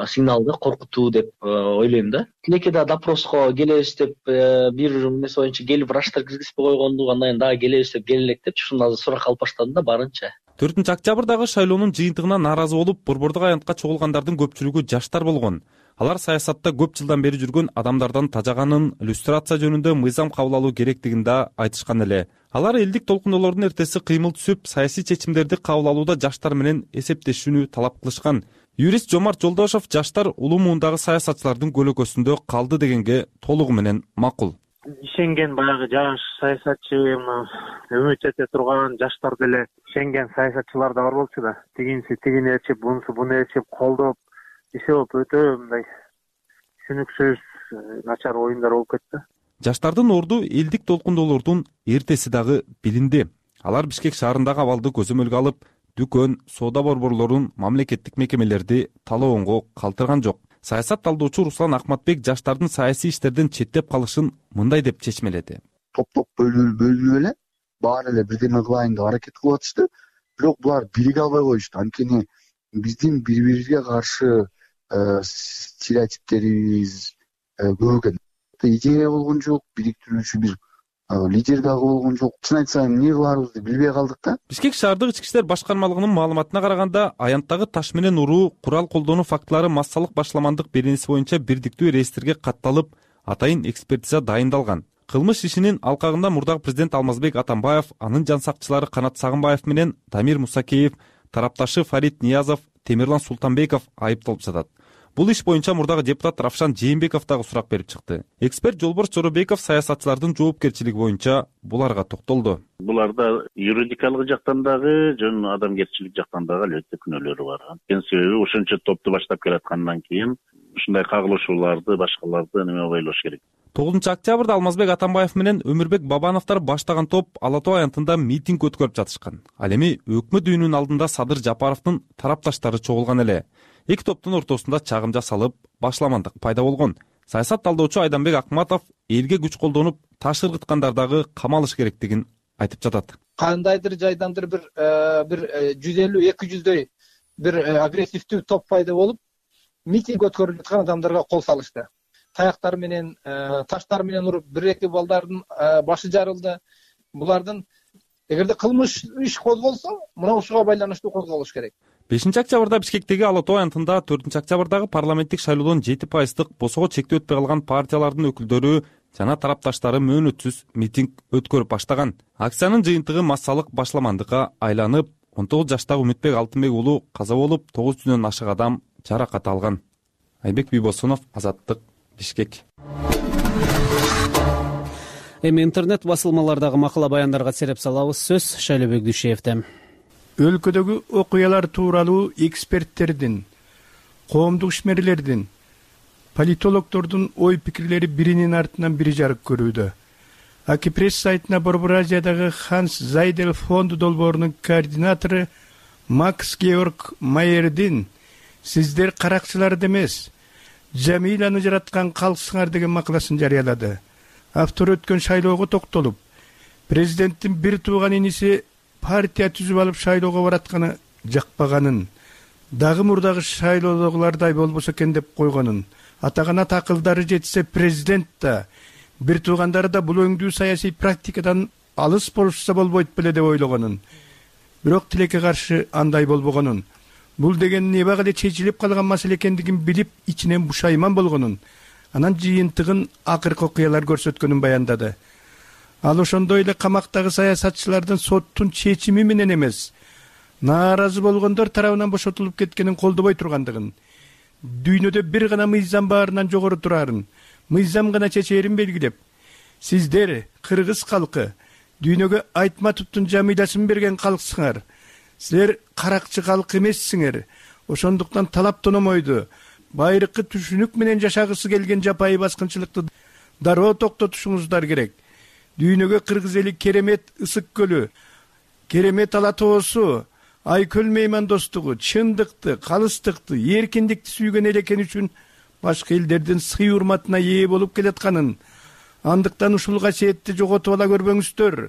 сигнал да, коркутуу деп ойлойм да. Тилекке да допроско келебиз деп бир эмеси боюнча келип врачтар киргизбей койгонду, андан кийин дагы келебиз деп келелек деп ушундай сурак алып баштадым да барынча. төртүнчү октябрдагы шайлоонун жыйынтыгына нааразы болуп, Борбордук аянтка чогулгандардын көпчүлүгү жаштар болгон. Алар саясатта көп жылдан бери жүргөн адамдардан тажаганын, иллюстрация жөнүндө мыйзам кабыл алуу керектигин да айтышкан эле. Алар элдик толкуноолордун эртеси кыймыл түсүп, саясий чечимдерди кабыл алууда жаштар менен эсептешүүнү талап кылышкан. Юрист Жомарт Жолдошов жаштар улуу муундагы саясатчылардын көлөкөсүндө калды дегенге толугу менен макул. Ишенген баягы жаш саясатчы, үмүт эте турган жаштар деле ишенген саясатчылар да бар болчу да. Тигинси тигини ээрчип, бунусу буну ээрчип колдоп, иши болуп өтө мындай түшүнүксүз, начар оюндар болуп кетти. Жаштардын орду элдик толкундоолордун эртеси дагы билинди. Алар Бишкек шаарындагы абалды көзөмөлгө алып, дүкөн, соода борборлорун, мамлекеттик мекемелерди талоонго калтырган жок. Саясат талдоочу Руслан Акматбек жаштардын саясий иштерден четтеп калышын мындай деп чечмеледи. Топ-топ бөлүнүп эле баары эле бирдеме кылайын деп аракет кылып атышты. бирок булар бириге албай коюшту. Анткени биздин бири бирибизге каршы стереотиптерибиз көп экен. Идея болгон жок, бириктирүүчү бир лидер дагы болгон жок. Чын айтсам, эмне кыларыбызды билбей калдык да. Бишкек шаардык ички иштер башкармалыгынын маалыматына караганда, аянттагы таш менен уруу, курал колдонуу фактылары массалык башламандык беренеси боюнча бирдиктүү реестрге катталып, атайын экспертиза дайындалган. Кылмыш ишинин алкагында мурдагы президент Алмазбек Атамбаев, анын жан сакчылары Канат Сагынбаев менен Дамир Мусакеев, тарапташы Фарид Ниязов, Темирлан Султанбеков айыпталып жатат. Бул иш боюнча мурдагы депутат Равшан Жээнбеков дагы сурак берип чыкты. Эксперт Жолборс Жоробеков саясатчылардын жоопкерчилиги боюнча буларга токтолду. Буларда юридикалык жактан дагы, жөн адамгерчилик жактан дагы албетте күнөөлөрү бар. Анткени себеби ошончо топту баштап келаткандан кийин ушундай кагылышууларды, башкаларды неме ойлош керек. тогузунчу октябрда Алмазбек Атамбаев менен Өмүрбек Бабановдор баштаган топ Ала Тоо аянтында митинг өткөрүп жатышкан. Ал эми өкмөт үйүнүнүн алдында Садыр Жапаровдун тарапташтары чогулган эле. Эки топтун ортосунда чагым жасалып, башламандык пайда болгон. Саясат талдоочу Айданбек Акматов элге күч колдонуп, таш ыргыткандар дагы камалыш керектигин айтып жатат. Кандайдыр жайдандыр бир бир жүз элүү эки жүздөй бир агрессивдүү топ пайда болуп, митинг өткөрүп жаткан адамдарга кол салышты. Таяктар менен, таштар менен уруп, бир эки балдардын башы жарылды. Булардын эгерде кылмыш иш козголсо, мына ушуга байланыштуу козголуш керек. бешинчи октябрда Бишкектеги Ала Тоо аянтында төртүнчү октябрдагы парламенттик шайлоодон жети пайыздык босого чектөө өтпөй калган партиялардын өкүлдөрү жана тарапташтары мөөнөтсүз митинг өткөрүп баштаган. Акциянын жыйынтыгы массалык башламандыкка айланып, он тогуз жаштагы Үмүтбек Алтынбек уулу каза болуп, тогуз жүздөн ашык адам жаракат алган. Айбек Бийбосунов, Азаттык, Бишкек. Эми интернет басылмалардагы макала баяндарга сереп салабыз. Сөз Шайлообек Дүйшеевде. Өлкөдөгү окуялар тууралуу эксперттердин, коомдук ишмерлердин, политологдордун ой пикирлери биринин артынан бири жарык көрүүдө. Акипресс сайтына Борбор Азиядагы Ханс Зайдел фонду долбоорунун координатору Макс Георг Майердин «Сиздер каракчыларды эмес, Жамиланы жараткан калксыңар» деген макаласын жарыялады. Автор өткөн шайлоого токтолуп, президенттин бир тууган иниси партия түзүп алып шайлоого баратканы жакпаганын, дагы мурдагы шайлоодогулардай болбосо экен деп койгонун, атагана такылдары жетсе президент да, бир туугандары да бул өңдүү саясий практикадан алыс болушса болбойт беле деп ойлогонун, бирок тилекке каршы андай болбогонун, бул деген небак эле чечилип калган маселе экендигин билип ичинен бушайман болгонун, анан жыйынтыгын акыркы окуялар көрсөткөнүн баяндады. Ал ошондой эле камактагы саясатчылардын соттун чечими менен эмес, нааразы болгондор тарабынан бошотулуп кеткенин колдобой тургандыгын, дүйнөдө бир гана мыйзам баарынан жогору турарын, мыйзам гана чечээрин белгилеп, сиздер кыргыз калкы дүйнөгө Айтматовдун Жамилясын берген калксыңар, силер каракчы калк эмессиңер, ошондуктан талап тономойду, байыркы түшүнүк менен жашагысы келген жапайы баскынчылыкты дароо токтотушуңуздар керек. Дүйнөгө кыргыз эли керемет Ысык көлү, керемет Ала Тоосу, Айкөл меймандостугу, чындыкты, калыстыкты, эркиндикти сүйгөн эл экени үчүн башка элдердин сый урматына ээ болуп келатканын, андыктан ушул касиетти жоготуп ала көрбөңүздөр.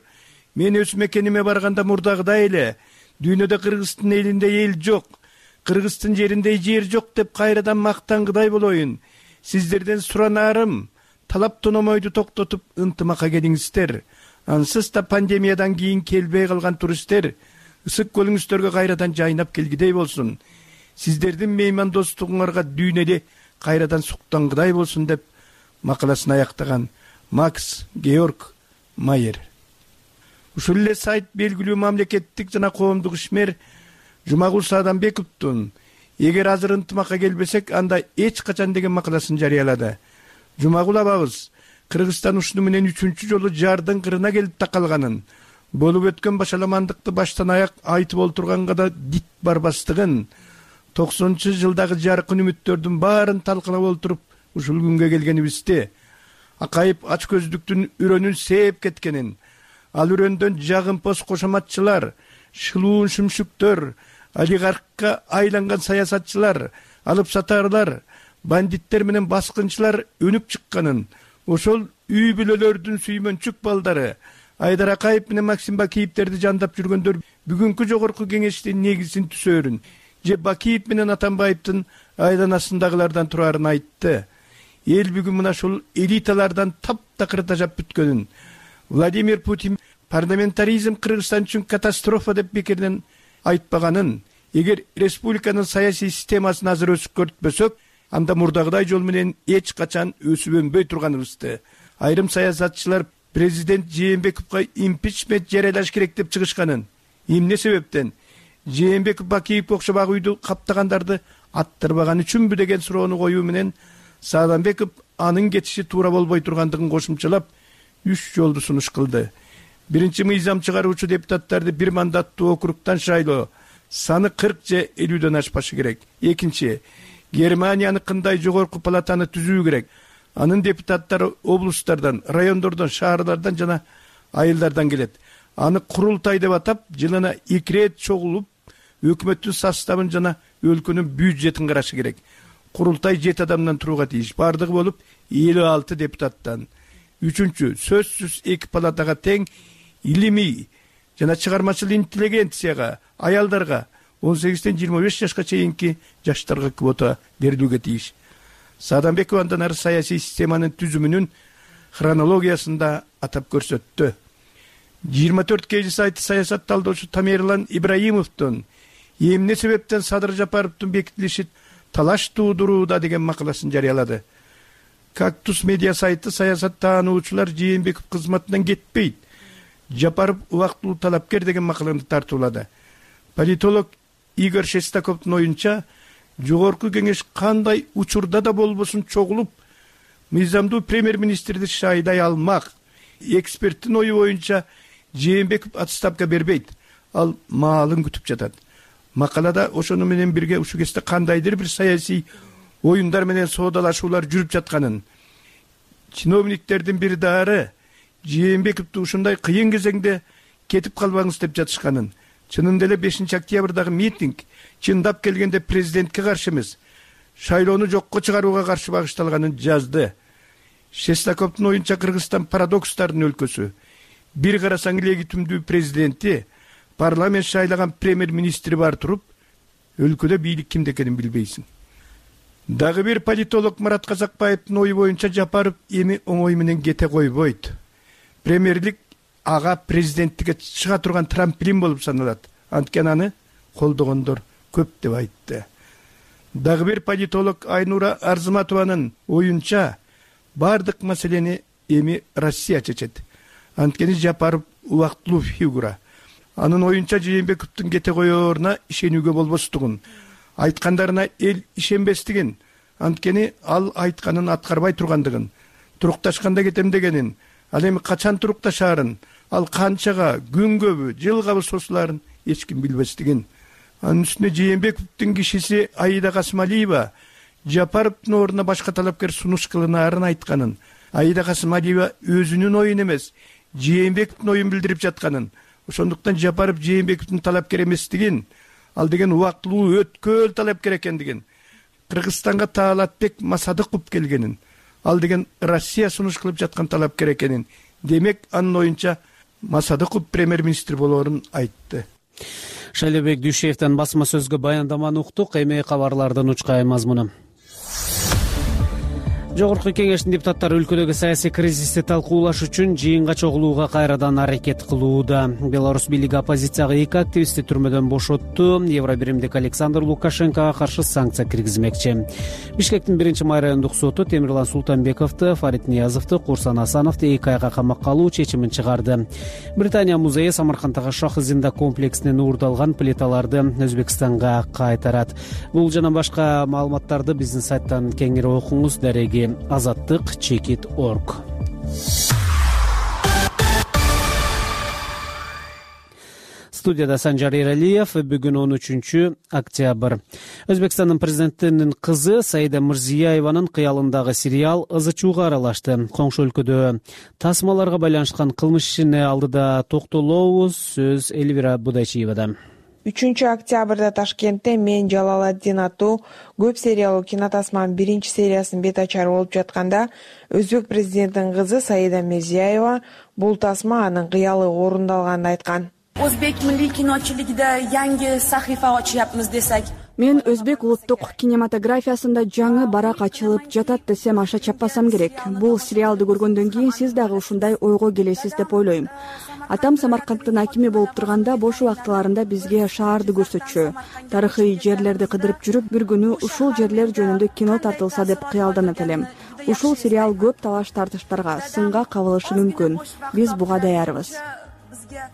Мен өз мекениме барганда мурдагыдай эле дүйнөдө кыргыздын элинде эл жок, кыргыздын жеринде жер жок деп кайрадан мактангыдай болоюн. Сиздерден суранарым, талап тономойду токтотуп ынтымакка келиңиздер. Ансыз да пандемиядан кийин келбей калган туристтер Ысык көлүңүздөргө кайрадан жайнап келгидей болсун. Сиздердин меймандостугуңарга дүйнөдө кайрадан суктангыдай болсун деп макаласын аяктаган Макс Георг Майер. Ушул эле сайт белгилүү мамлекеттик жана коомдук ишмер Жумагул Саадамбековдун «Эгер азыр ынтымакка келбесек, анда эч качан» деген макаласын жарыялады. Жумагул абабыз Кыргызстан ушуну менен үчүнчү жолу жардын кырына келип такалганын, болуп өткөн башаламандыкты баштан аяк айтып олтурганга да дит барбастыгын, токсонунчу жылдагы жаркын үмүттөрдүн баарын талкалап олтуруп ушул күнгө келгенибизди, акайып ач көздүктүн үрөнүн сээп кеткенин, ал үрөндөн жагымпоз кошоматчылар, шылуун шүмшүктөр, олигархка айланган саясатчылар, алып сатарлар, бандиттер менен баскынчылар өнүп чыкканын, ошол үй бүлөлөрдүн сүймөнчүк балдары, Айдар Акаев менен Максим Бакиевтерди жандап жүргөндөр бүгүнкү жогорку кеңештин негизин түзөөрүн же Бакиев менен Атамбаевдин айланасындагылардан турарын айтты. Эл бүгүн мына ушул элиталардан таптакыр тажап бүткөнүн, Владимир Путин парламентаризм Кыргызстан үчүн катастрофа деп бекерден айтпаганын, эгер республиканын саясий системасын азыр өсүп көртпөсөк, анда мурдагыдай жол менен эч качан өсүп өнбөй турганыбызды. Айрым саясатчылар президент Жээнбековго импичмент жарыялаш керек деп чыгышканын, эмне себептен Жээнбеков Бакиевге окшобак үйдү каптагандарды аттырбаган үчүнбү деген суроону коюу менен Сааданбеков анын кетиши туура болбой тургандыгын кошумчалап үч жолду сунуш кылды. Биринчи, мыйзам чыгаруучу депутаттарды бир мандаттуу округтан шайлоо саны кырк же элүүдөн ашпашы керек. Экинчи, Германияныкындай жогорку палатаны түзүү керек. Анын депутаттары облустардан, райондордон, шаарлардан жана айылдардан келет. Аны курултай деп атап, жылына эки рет чогулуп, өкмөттүн составын жана өлкөнүн бюджетин карашы керек. Курултай жети адамдан турууга тийиш. Бардыгы болуп элүү алты депутаттан. Үчүнчү, сөзсүз эки палатага тең илимий жана чыгармачыл интеллигенцияга, аялдарга, он сегизден жыйырма беш жашка чейинки жаштарга квота берилүүгө тийиш. Сааданбеков андан ары саясий системанын түзүмүнүн хронологиясында атап көрсөттү. жыйырма төрт кж сайты саясат талдоочу Тамерлан Ибраимовдун эмне себептен Садыр Жапаровдун бекитилиши талаш туудурууда деген макаласын жарыялады. Кактус медиа сайты саясат таануучулар Жээнбеков кызматынан кетпейт, Жапаров убактылуу талапкер деген макаланы тартуулады. Политолог Игорь Шестаковдун оюнча, жогорку кеңеш кандай учурда да болбосун чогулуп, мыйзамдуу премьер-министрди шайлай алмак. Эксперттин ою боюнча Жээнбеков отставка бербейт, ал маалын күтүп жатат. Макалада ошону менен бирге ушул кезде кандайдыр бир саясий оюндар менен соодалашуулар жүрүп жатканын, чиновниктердин бир дары Жээнбековду ушундай кыйын кезеңде кетип калбаңыз деп жатышканын, чынында эле бешинчи октябрдагы митинг чындап келгенде президентке каршы эмес, шайлоону жокко чыгарууга каршы багышталганын жазды. Шестаковдун оюнча Кыргызстан парадокстардын өлкөсү. Бир карасаң легитимдүү президенти, парламент шайлаган премьер-министри бар туруп, өлкөдө бийлик кимде экенин билбейсиң. Дагы бир политолог Марат Казакбаевдин ою боюнча Жапаров эми оңой менен кете койбойт. Премьерлик ага президенттикке чыга турган трамплин болуп саналат. Анткени аны колдогондор көп деп айтты. Дагы бир политолог Айнура Арзыматованын оюнча бардык маселени эми Россия чечет. Анткени Жапаров убактылуу фигура. Анын оюнча Жээнбековдун кете коёоруна ишенүүгө болбостугун, айткандарына эл ишенбестигин, анткени ал айтканын аткарбай тургандыгын, турукташканда кетем дегенин, ал эми качан турукташаарын, ал канчага, күнгөбү, жылгабы созулаарын эч ким билбестигин. Анын үстүнө Жээнбековдун кишиси Аида Касымалиева Жапаровдун ордуна башка талапкер сунуш кылынаарын айтканын, Аида Касымалиева өзүнүн оюн эмес, Жээнбековдун оюн билдирип жатканын, ошондуктан Жапаров Жээнбековдун талапкер эместигин, ал деген убактылуу өткөл талапкер экендигин, Кыргызстанга Таалатбек Масадыков келгенин, ал деген Россия сунуш кылып жаткан талапкер экенин, демек анын оюнча Масадыков премьер-министр болоорун айтты. Шайлебек Дүйшеевден басма сөзгө баяндаманы уктук. Эми кабарлардын учкай мазмуну. Жогорку кеңештин депутаттары өлкөдөгү саясий кризисти талкуулаш үчүн жыйынга чогулууга кайрадан аракет кылууда. Беларусь бийлиги оппозицияга эки активистти түрмөдөн бошотту. Евробиримдик Александр Лукашенкого каршы санкция киргизмекчи. Бишкектин биринчи май райондук соту Темирлан Султанбековду, Фарид Ниязовду, Курсан Асановду эки айга камакка алуу чечимин чыгарды. Британия музейи Самаркандагы Шах-Зинда комплексинен уурдалган плиталарды Өзбекстанга кайтарат. Бул жана башка маалыматтарды биздин сайттан кеңири окуңуз. Дареги азаттык чекит точка орг. Студияда Санжар Эралиев. Бүгүн он үчүнчү октябрь. Өзбекстандын президентинин кызы Саида Мирзиееванын кыялындагы сериал ызы чууга аралашты. Коңшу өлкөдө тасмаларга байланышкан кылмыш ишине алдыда токтолобуз. Сөз Элвира Будайчиевада. үчүнчү октябрда Ташкентте «Мен Жалалатдин» аттуу көп сериялуу кинотасманын биринчи сериясынын бет ачары болуп жатканда Өзбек президентинин кызы Саида Мирзиева бул тасма анын кыялы орундалганын айткан. O'zbek milliy kinochiligida yangi sahifa ochyapmiz desak. Мен өзбек улуттук кинематографиясында жаңы барак ачылып жатат десем аша чаппасам керек. Бул сериалды көргөндөн кийин сиз дагы ушундай ойго келесиз деп ойлойм. Атам Самаркандтын акими болуп турганда бош убактыларында бизге шаарды көрсөтчү. Тарыхый жерлерди кыдырып жүрүп, бир күнү ушул жерлер жөнүндө кино тартылса деп кыялданат элем. Ушул сериал көп талаш тартыштарга, сынга кабылышы мүмкүн. Биз буга даярбыз,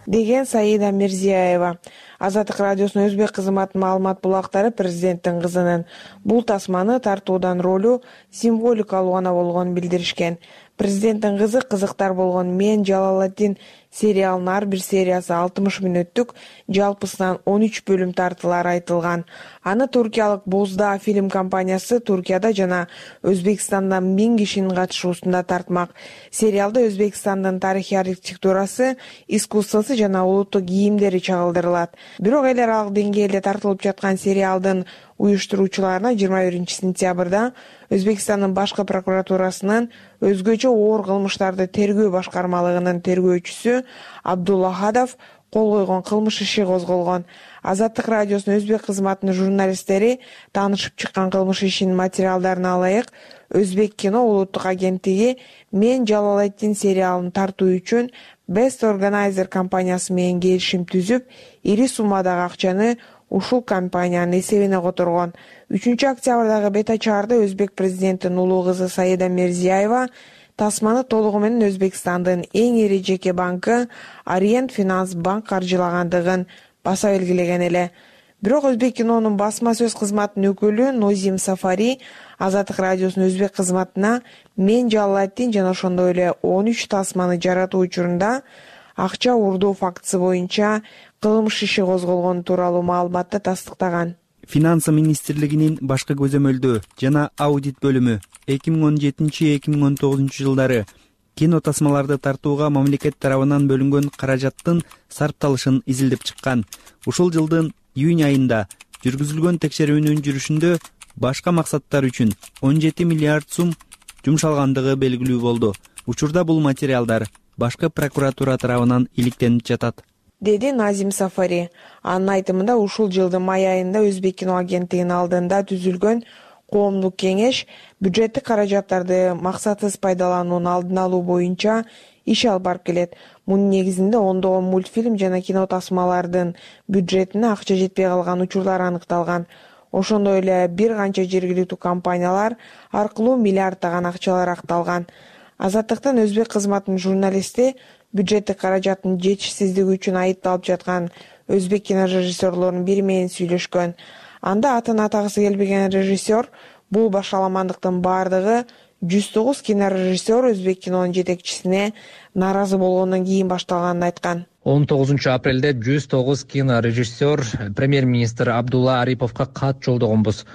деген Саида Мирзиева. Азаттык радиосунун өзбек кызматынын маалымат булактары президенттин кызынын бул тасманы тартуудан ролу символикалуу гана болгонун билдиришкен. Президенттин кызы кызыктар болгон «Мен Жалалатдин» сериалынын ар бир сериясы алтымыш мүнөттүк, жалпысынан он үч бөлүм тартылары айтылган. Аны туркиялык Бозда фильм компаниясы Туркияда жана Өзбекстанда миң кишинин катышуусунда тартмак. Сериалда Өзбекстандын тарыхый архитектурасы, искусствосу жана улуттук кийимдери чагылдырылат. Бирок эл аралык деңгээлде тартылып жаткан сериалдын уюштуруучуларына жыйырма биринчи сентябрда Өзбекстандын башкы прокуратурасынын өзгөчө оор кылмыштарды тергөө башкармалыгынын тергөөчүсү Абдулла Хадов кол койгон кылмыш иши козголгон. Азаттык радиосунун өзбек кызматынын журналисттери таанышып чыккан кылмыш ишинин материалдарына ылайык Өзбек кино улуттук агенттиги «Мен Жалалатдин» сериалын тартуу үчүн Best Organizer компаниясы менен келишим түзүп, ири суммадагы акчаны ушул компаниянын эсебине которгон. үчүнчү октябрдагы бет ачаарда Өзбек президентинин улуу кызы Саида Мирзиева тасманы толугу менен Өзбекстандын эң ири жеке банкы Orient Finance банк каржылагандыгын баса белгилеген эле. Бирок Өзбек кинонун басма сөз кызматынын өкүлү Нозим Сафари Азаттык радиосунун өзбек кызматына «Мен Жалалатдин» жана ошондой эле он үч тасманы жаратуу учурунда акча уурдоо фактысы боюнча кылмыш иши козголгону тууралуу маалыматты тастыктаган. Финансы министрлигинин башкы көзөмөлдөө жана аудит бөлүмү эки миң он жетинчи эки миң он тогузунчу жылдары кино тасмаларды тартууга мамлекет тарабынан бөлүнгөн каражаттын сарпталышын изилдеп чыккан. Ушул жылдын июнь айында жүргүзүлгөн текшерүүнүн жүрүшүндө башка максаттар үчүн он жети миллиард сум жумшалгандыгы белгилүү болду. Учурда бул материалдар башкы прокуратура тарабынан иликтенип жатат, деди Назим Сафари. Анын айтымында ушул жылдын май айында Өзбек кино агенттигинин алдында түзүлгөн коомдук кеңеш бюджеттик каражаттарды максатсыз пайдалануунун алдын алуу боюнча иш алып барып келет. Мунун негизинде ондогон мультфильм жана кино тасмалардын бюджетине акча жетпей калган учурлар аныкталган. Ошондой эле бир канча жергиликтүү компаниялар аркылуу миллиарддаган акчалар акталган. Азаттыктын өзбек кызматынын журналисти бюджеттик каражаттын жетишсиздиги үчүн айыпталып жаткан өзбек кинорежиссерлорунун бири менен сүйлөшкөн. Анда атын атагысы келбеген режиссер бул башаламандыктын баардыгы жүз тогуз кинорежиссер өзбек кинонун жетекчисине нааразы болгондон кийин башталганын айткан. он тогузунчу апрелде жүз тогуз кинорежиссер премьер-министр Абдулла Ариповго кат жолдогонбуз.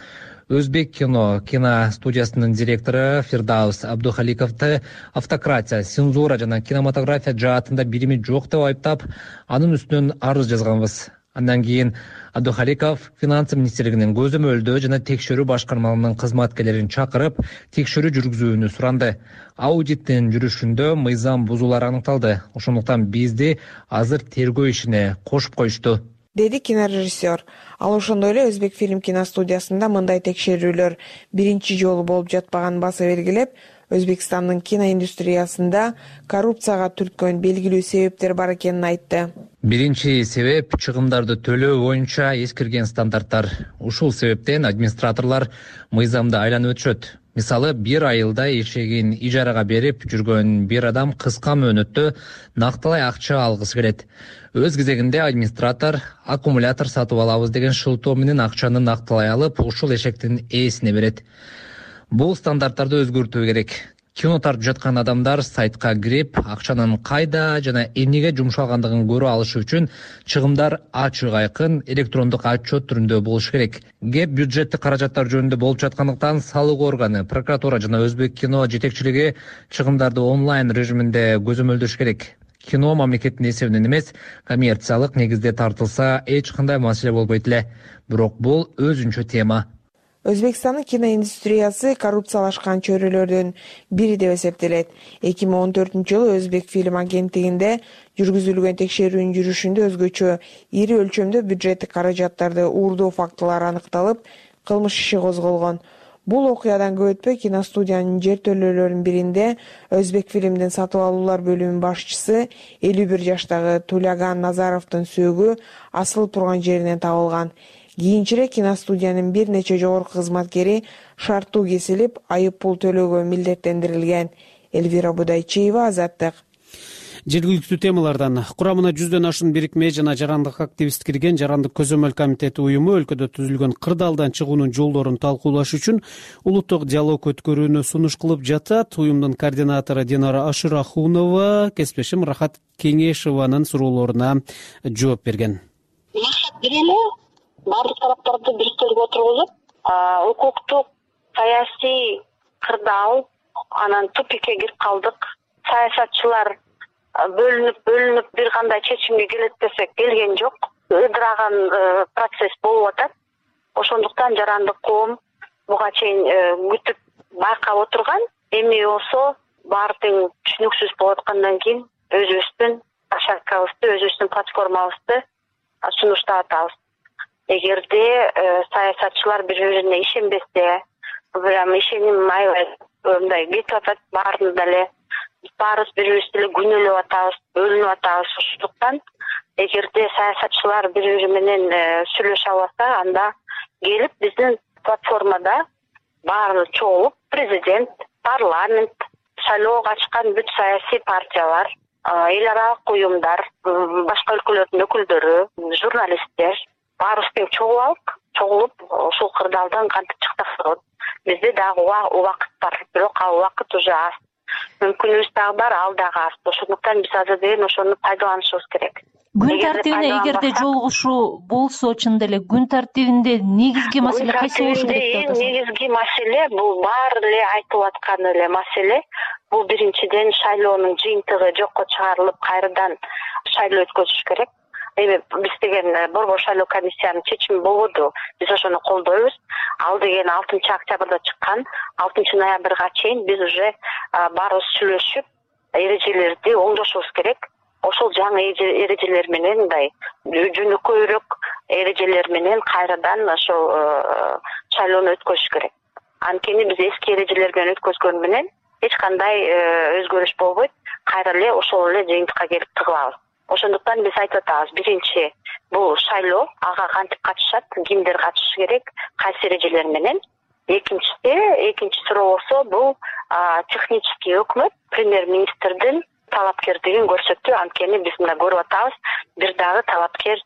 Өзбек кино киностудиясынын директору Фирдаус Абдухаликовду автократия, цензура жана кинематография жаатында бирими жок деп айыптап, анын үстүнөн арыз жазганбыз. Андан кийин Абдухаликов финансы министрлигинин көзөмөлдөө жана текшерүү башкармалыгынын кызматкерлерин чакырып, текшерүү жүргүзүүнү суранды. Аудиттин жүрүшүндө мыйзам бузуулар аныкталды. Ошондуктан бизди азыр тергөө ишине кошуп коюшту, деди кинорежиссер. Ал ошондой эле Өзбек фильм киностудиясында мындай текшерүүлөр биринчи жолу болуп жатпаганын баса белгилеп, Өзбекстандын киноиндустриясында коррупцияга түрткөн белгилүү себептер бар экенин айтты. Биринчи себеп чыгымдарды төлөө боюнча эскирген стандарттар. Ушул себептен администраторлор мыйзамды айланып өтүшөт. Мисалы, бир айылда эшегин ижарага берип жүргөн бир адам кыска мөөнөттө накталай акча алгысы келет. Өз кезегинде администратор аккумулятор сатып алабыз деген шылтоо менен акчаны накталай алып, ушул эшектин ээсине берет. Бул стандарттарды өзгөртүү керек. Кино тартып жаткан адамдар сайтка кирип, акчанын кайда жана эмнеге жумшалгандыгын көрө алышы үчүн чыгымдар ачык айкын электрондук отчет түрүндө болуш керек. Кеп бюджеттик каражаттар жөнүндө болуп жаткандыктан салык органы, прокуратура жана Өзбек кино жетекчилиги чыгымдарды онлайн режиминде көзөмөлдөш керек. кино мамлекеттин эсебинен эмес, коммерциялык негизде тартылса эч кандай маселе болбойт эле. Бирок бул өзүнчө тема. Өзбекстандын киноиндустриясы коррупциялашкан чөйрөлөрдүн бири деп эсептелет. эки миң он төртүнчү жылы Өзбек фильм агенттигинде жүргүзүлгөн текшерүүнүн жүрүшүндө өзгөчө ири өлчөмдө бюджеттик каражаттарды уурдоо фактылары аныкталып, кылмыш иши козголгон. Бул окуядан көп өтпөй киностудиянын жертөлөлөрүнүн биринде Өзбек фильмдин сатып алуулар бөлүмүнүн башчысы элүү бир жаштагы Туляган Назаровдун сөөгү асылып турган жеринен табылган. Кийинчерээк киностудиянын бир нече жогорку кызматкери шарттуу кесилип, айып пул төлөөгө милдеттендирилген. Элвира Будайчиева, Азаттык. Жергиликтүү темалардан курамына жүздөн ашуун бирикме жана жарандык активист кирген Жарандык көзөмөл комитети уюму өлкөдө түзүлгөн кырдаалдан чыгуунун жолдорун талкуулаш үчүн улуттук диалог өткөрүүнү сунуш кылып жатат. Уюмдун координатору Динара Ашырахунова кесиптешим Рахат Кеңешованын суроолоруна жооп берген. Максат бир эле, баардык тараптарды бириктирип отургузуп, укуктук, саясий кырдаал, анан тупикке кирип калдык. Саясатчылар бөлүнүп бөлүнүп бир кандай чечимге келет десек келген жок. Ыдыраган процесс болуп атат. Ошондуктан жарандык коом буга чейин күтүп байкап отурган. Эми болсо баары тең түшүнүксүз болуп аткандан кийин өзүбүздүн площадкабызды, өзүбүздүн платформабызды сунуштап атабыз. Эгерде саясатчылар бири-бирине ишенбесе, прям ишеним аябай мындай кетип атат баарында эле. Баарыбыз бири-бирибизди эле күнөөлөп атабыз, бөлүнүп атабыз. Ошондуктан эгерде саясатчылар бири-бири менен сүйлөшө албаса, анда келип биздин платформада баары чогулуп, президент, парламент, шайлоого катышкан бүт саясий партиялар, эл аралык уюмдар, башка өлкөлөрдүн өкүлдөрү, журналисттер баарыбыз тең чогулалык, чогулуп ушул кырдаалдан кантип чыксак болот. Бизде дагы убакыт бар, бирок ал убакыт уже аз. Мүмкүнүбүз дагы бар, ал дагы аз. Ошондуктан биз азыр деген ошону пайдаланышыбыз керек. Күн тартибине эгерде жолугушуу болсо, чындап эле күн тартибинде негизги маселе кайсы болушу керек деп атасыз? Негизги маселе бул баары эле айтылып аткан эле маселе. Бул биринчиден шайлоонун жыйынтыгы жокко чыгарылып, кайрадан шайлоо өткөзүш керек. Эми биз деген борбор шайлоо комиссиянын чечими болбоду. Биз ошону колдойбуз. Ал деген алтынчы октябрда чыккан. алтынчы ноябрга чейин биз уже баарыбыз сүйлөшүп, эрежелерди оңдошубуз керек. Ошол жаңы эрежелер менен мындай жөнөкөйрөөк эрежелер менен кайрадан ошол шайлоону өткөзүш керек. Анткени биз эски эрежелер менен өткөзгөн менен эч кандай өзгөрүш болбойт. Кайра эле ошол эле жыйынтыкка келип тыгылабыз. Ошондуктан биз айтып атабыз, биринчи бул шайлоо, ага кантип катышат, кимдер катышышы керек, кайсы эрежелер менен. Экинчиси, экинчи суроо болсо, бул технический өкмөт, премьер-министрдин талапкердигин көрсөттү. Анткени биз мына көрүп атабыз, бир дагы талапкер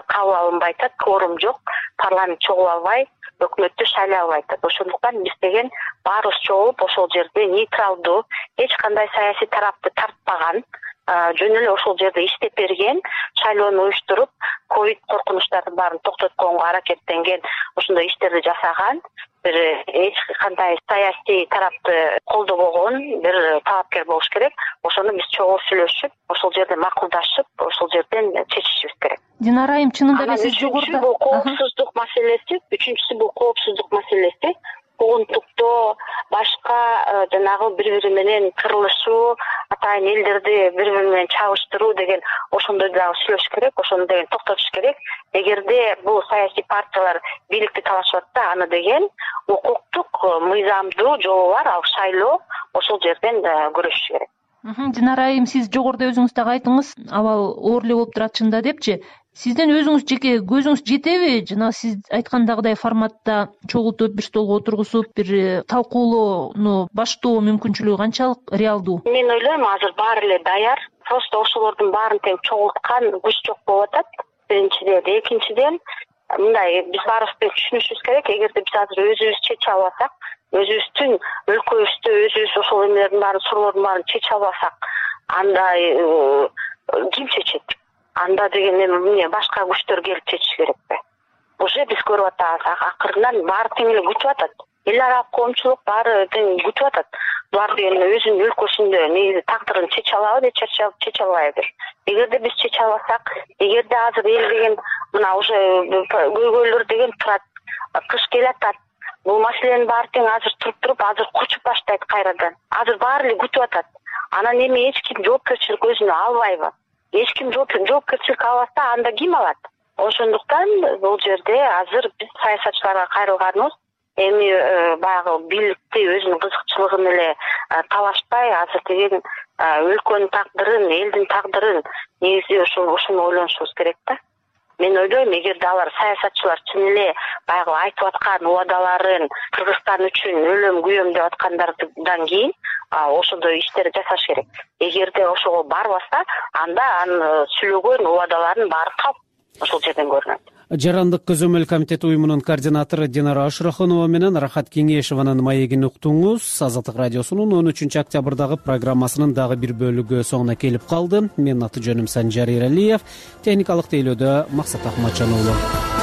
кабыл алынбай атат, кворум жок, парламент чогула албай, өкмөттү шайлай албай атат. Ошондуктан биз деген баарыбыз чогулуп, ошол жерде нейтралдуу, эч кандай саясий тарапты тартпаган, жөн эле ошол жерде иштеп берген, шайлоону уюштуруп, ковид коркунучтардын баарын токтотконго аракеттенген, ошондой иштерди жасаган, бир эч кандай саясий тарапты колдобогон бир талапкер болуш керек. Ошону биз чогуу сүйлөшүп, ошол жерде макулдашып, ошол жерден чечишибиз керек. Динара айым, чынында эле сиз жогоруда бул коопсуздук маселеси, үчүнчүсү бул коопсуздук маселеси. Угунтуктоо, башка жанагы бири-бири менен кырылышуу, атайын элдерди бири-бири менен чабыштыруу деген ошондой дагы сүйлөшүш керек, ошону деген токтотуш керек. Эгерде бул саясий партиялар бийликти талашып атса, аны деген укуктук, мыйзамдуу жолу бар, ал шайлоо, ошол жерден көрүшүш керек. Динара айым, сиз жогоруда өзүңүз дагы айттыңыз, абал оор эле болуп турат чында депчи. Сиздин өзүңүз жеке көзүңүз жетеби? Жана сиз айткандагыдай форматта чогултуп, бир столго отургузуп, бир талкуулоону баштоо мүмкүнчүлүгү канчалык реалдуу? Мен ойлойм, азыр баары эле даяр. Просто ошолордун баарын тең чогулткан күч жок болуп атат. Биринчиден, экинчиден, мындай биз баарыбыз тең түшүнүшүбүз керек. Эгерде биз азыр өзүбүз чече албасак, өзүбүздүн өлкөбүздө өзүбүз ошол эмелердин баарын, суроолордун баарын чече албасак, анда ким чечет? Анда деген эми башка күчтөр келип чечиш керекпи? Уже биз көрүп атабыз, акырынан баары тең эле күтүп атат. Эл аралык коомчулук баары тең күтүп атат. булар деген өзүнүн өлкөсүндө негизи тагдырын чече алабы же чече албайбы. Эгерде биз чече албасак, эгерде азыр эл деген мына уже көйгөйлөр деген турат, кыш келатат. Бул маселенин баары тең азыр туруп туруп, азыр кучуп баштайт кайрадан. Азыр баары эле күтүп атат. Анан эми эч ким жоопкерчилик өзүнө албайбы? Эч ким жоопкерчилик албаса, анда ким алат? Ошондуктан бул жерде азыр биз саясатчыларга кайрылганыбыз эми баягы бийликти өзүнүн кызыкчылыгын эле талашпай, азыр деген өлкөнүн тагдырын, элдин тагдырын негизи ошол ошону ойлонушубуз керек да. Мен ойлойм, эгерде алар саясатчылар чын эле баягы айтып аткан убадаларын Кыргызстан үчүн өлөм күйөм деп аткандардан кийин ошондой иштер жасаш керек. Эгерде ошого барбаса, анда анын сүйлөгөн убадаларынын баары калп ошол жерден көрүнөт. Жарандык көзөмөл комитети уюмунун координатору Динара Ашырахунова менен Рахат Кеңешованын маегин уктуңуз. Азаттык радиосунун он үчүнчү октябрдагы программасынын дагы бир бөлүгү соңуна келип калды. Менин аты жөнүм Санжар Эралиев, техникалык тейлөөдө Максат Акматжан уулу.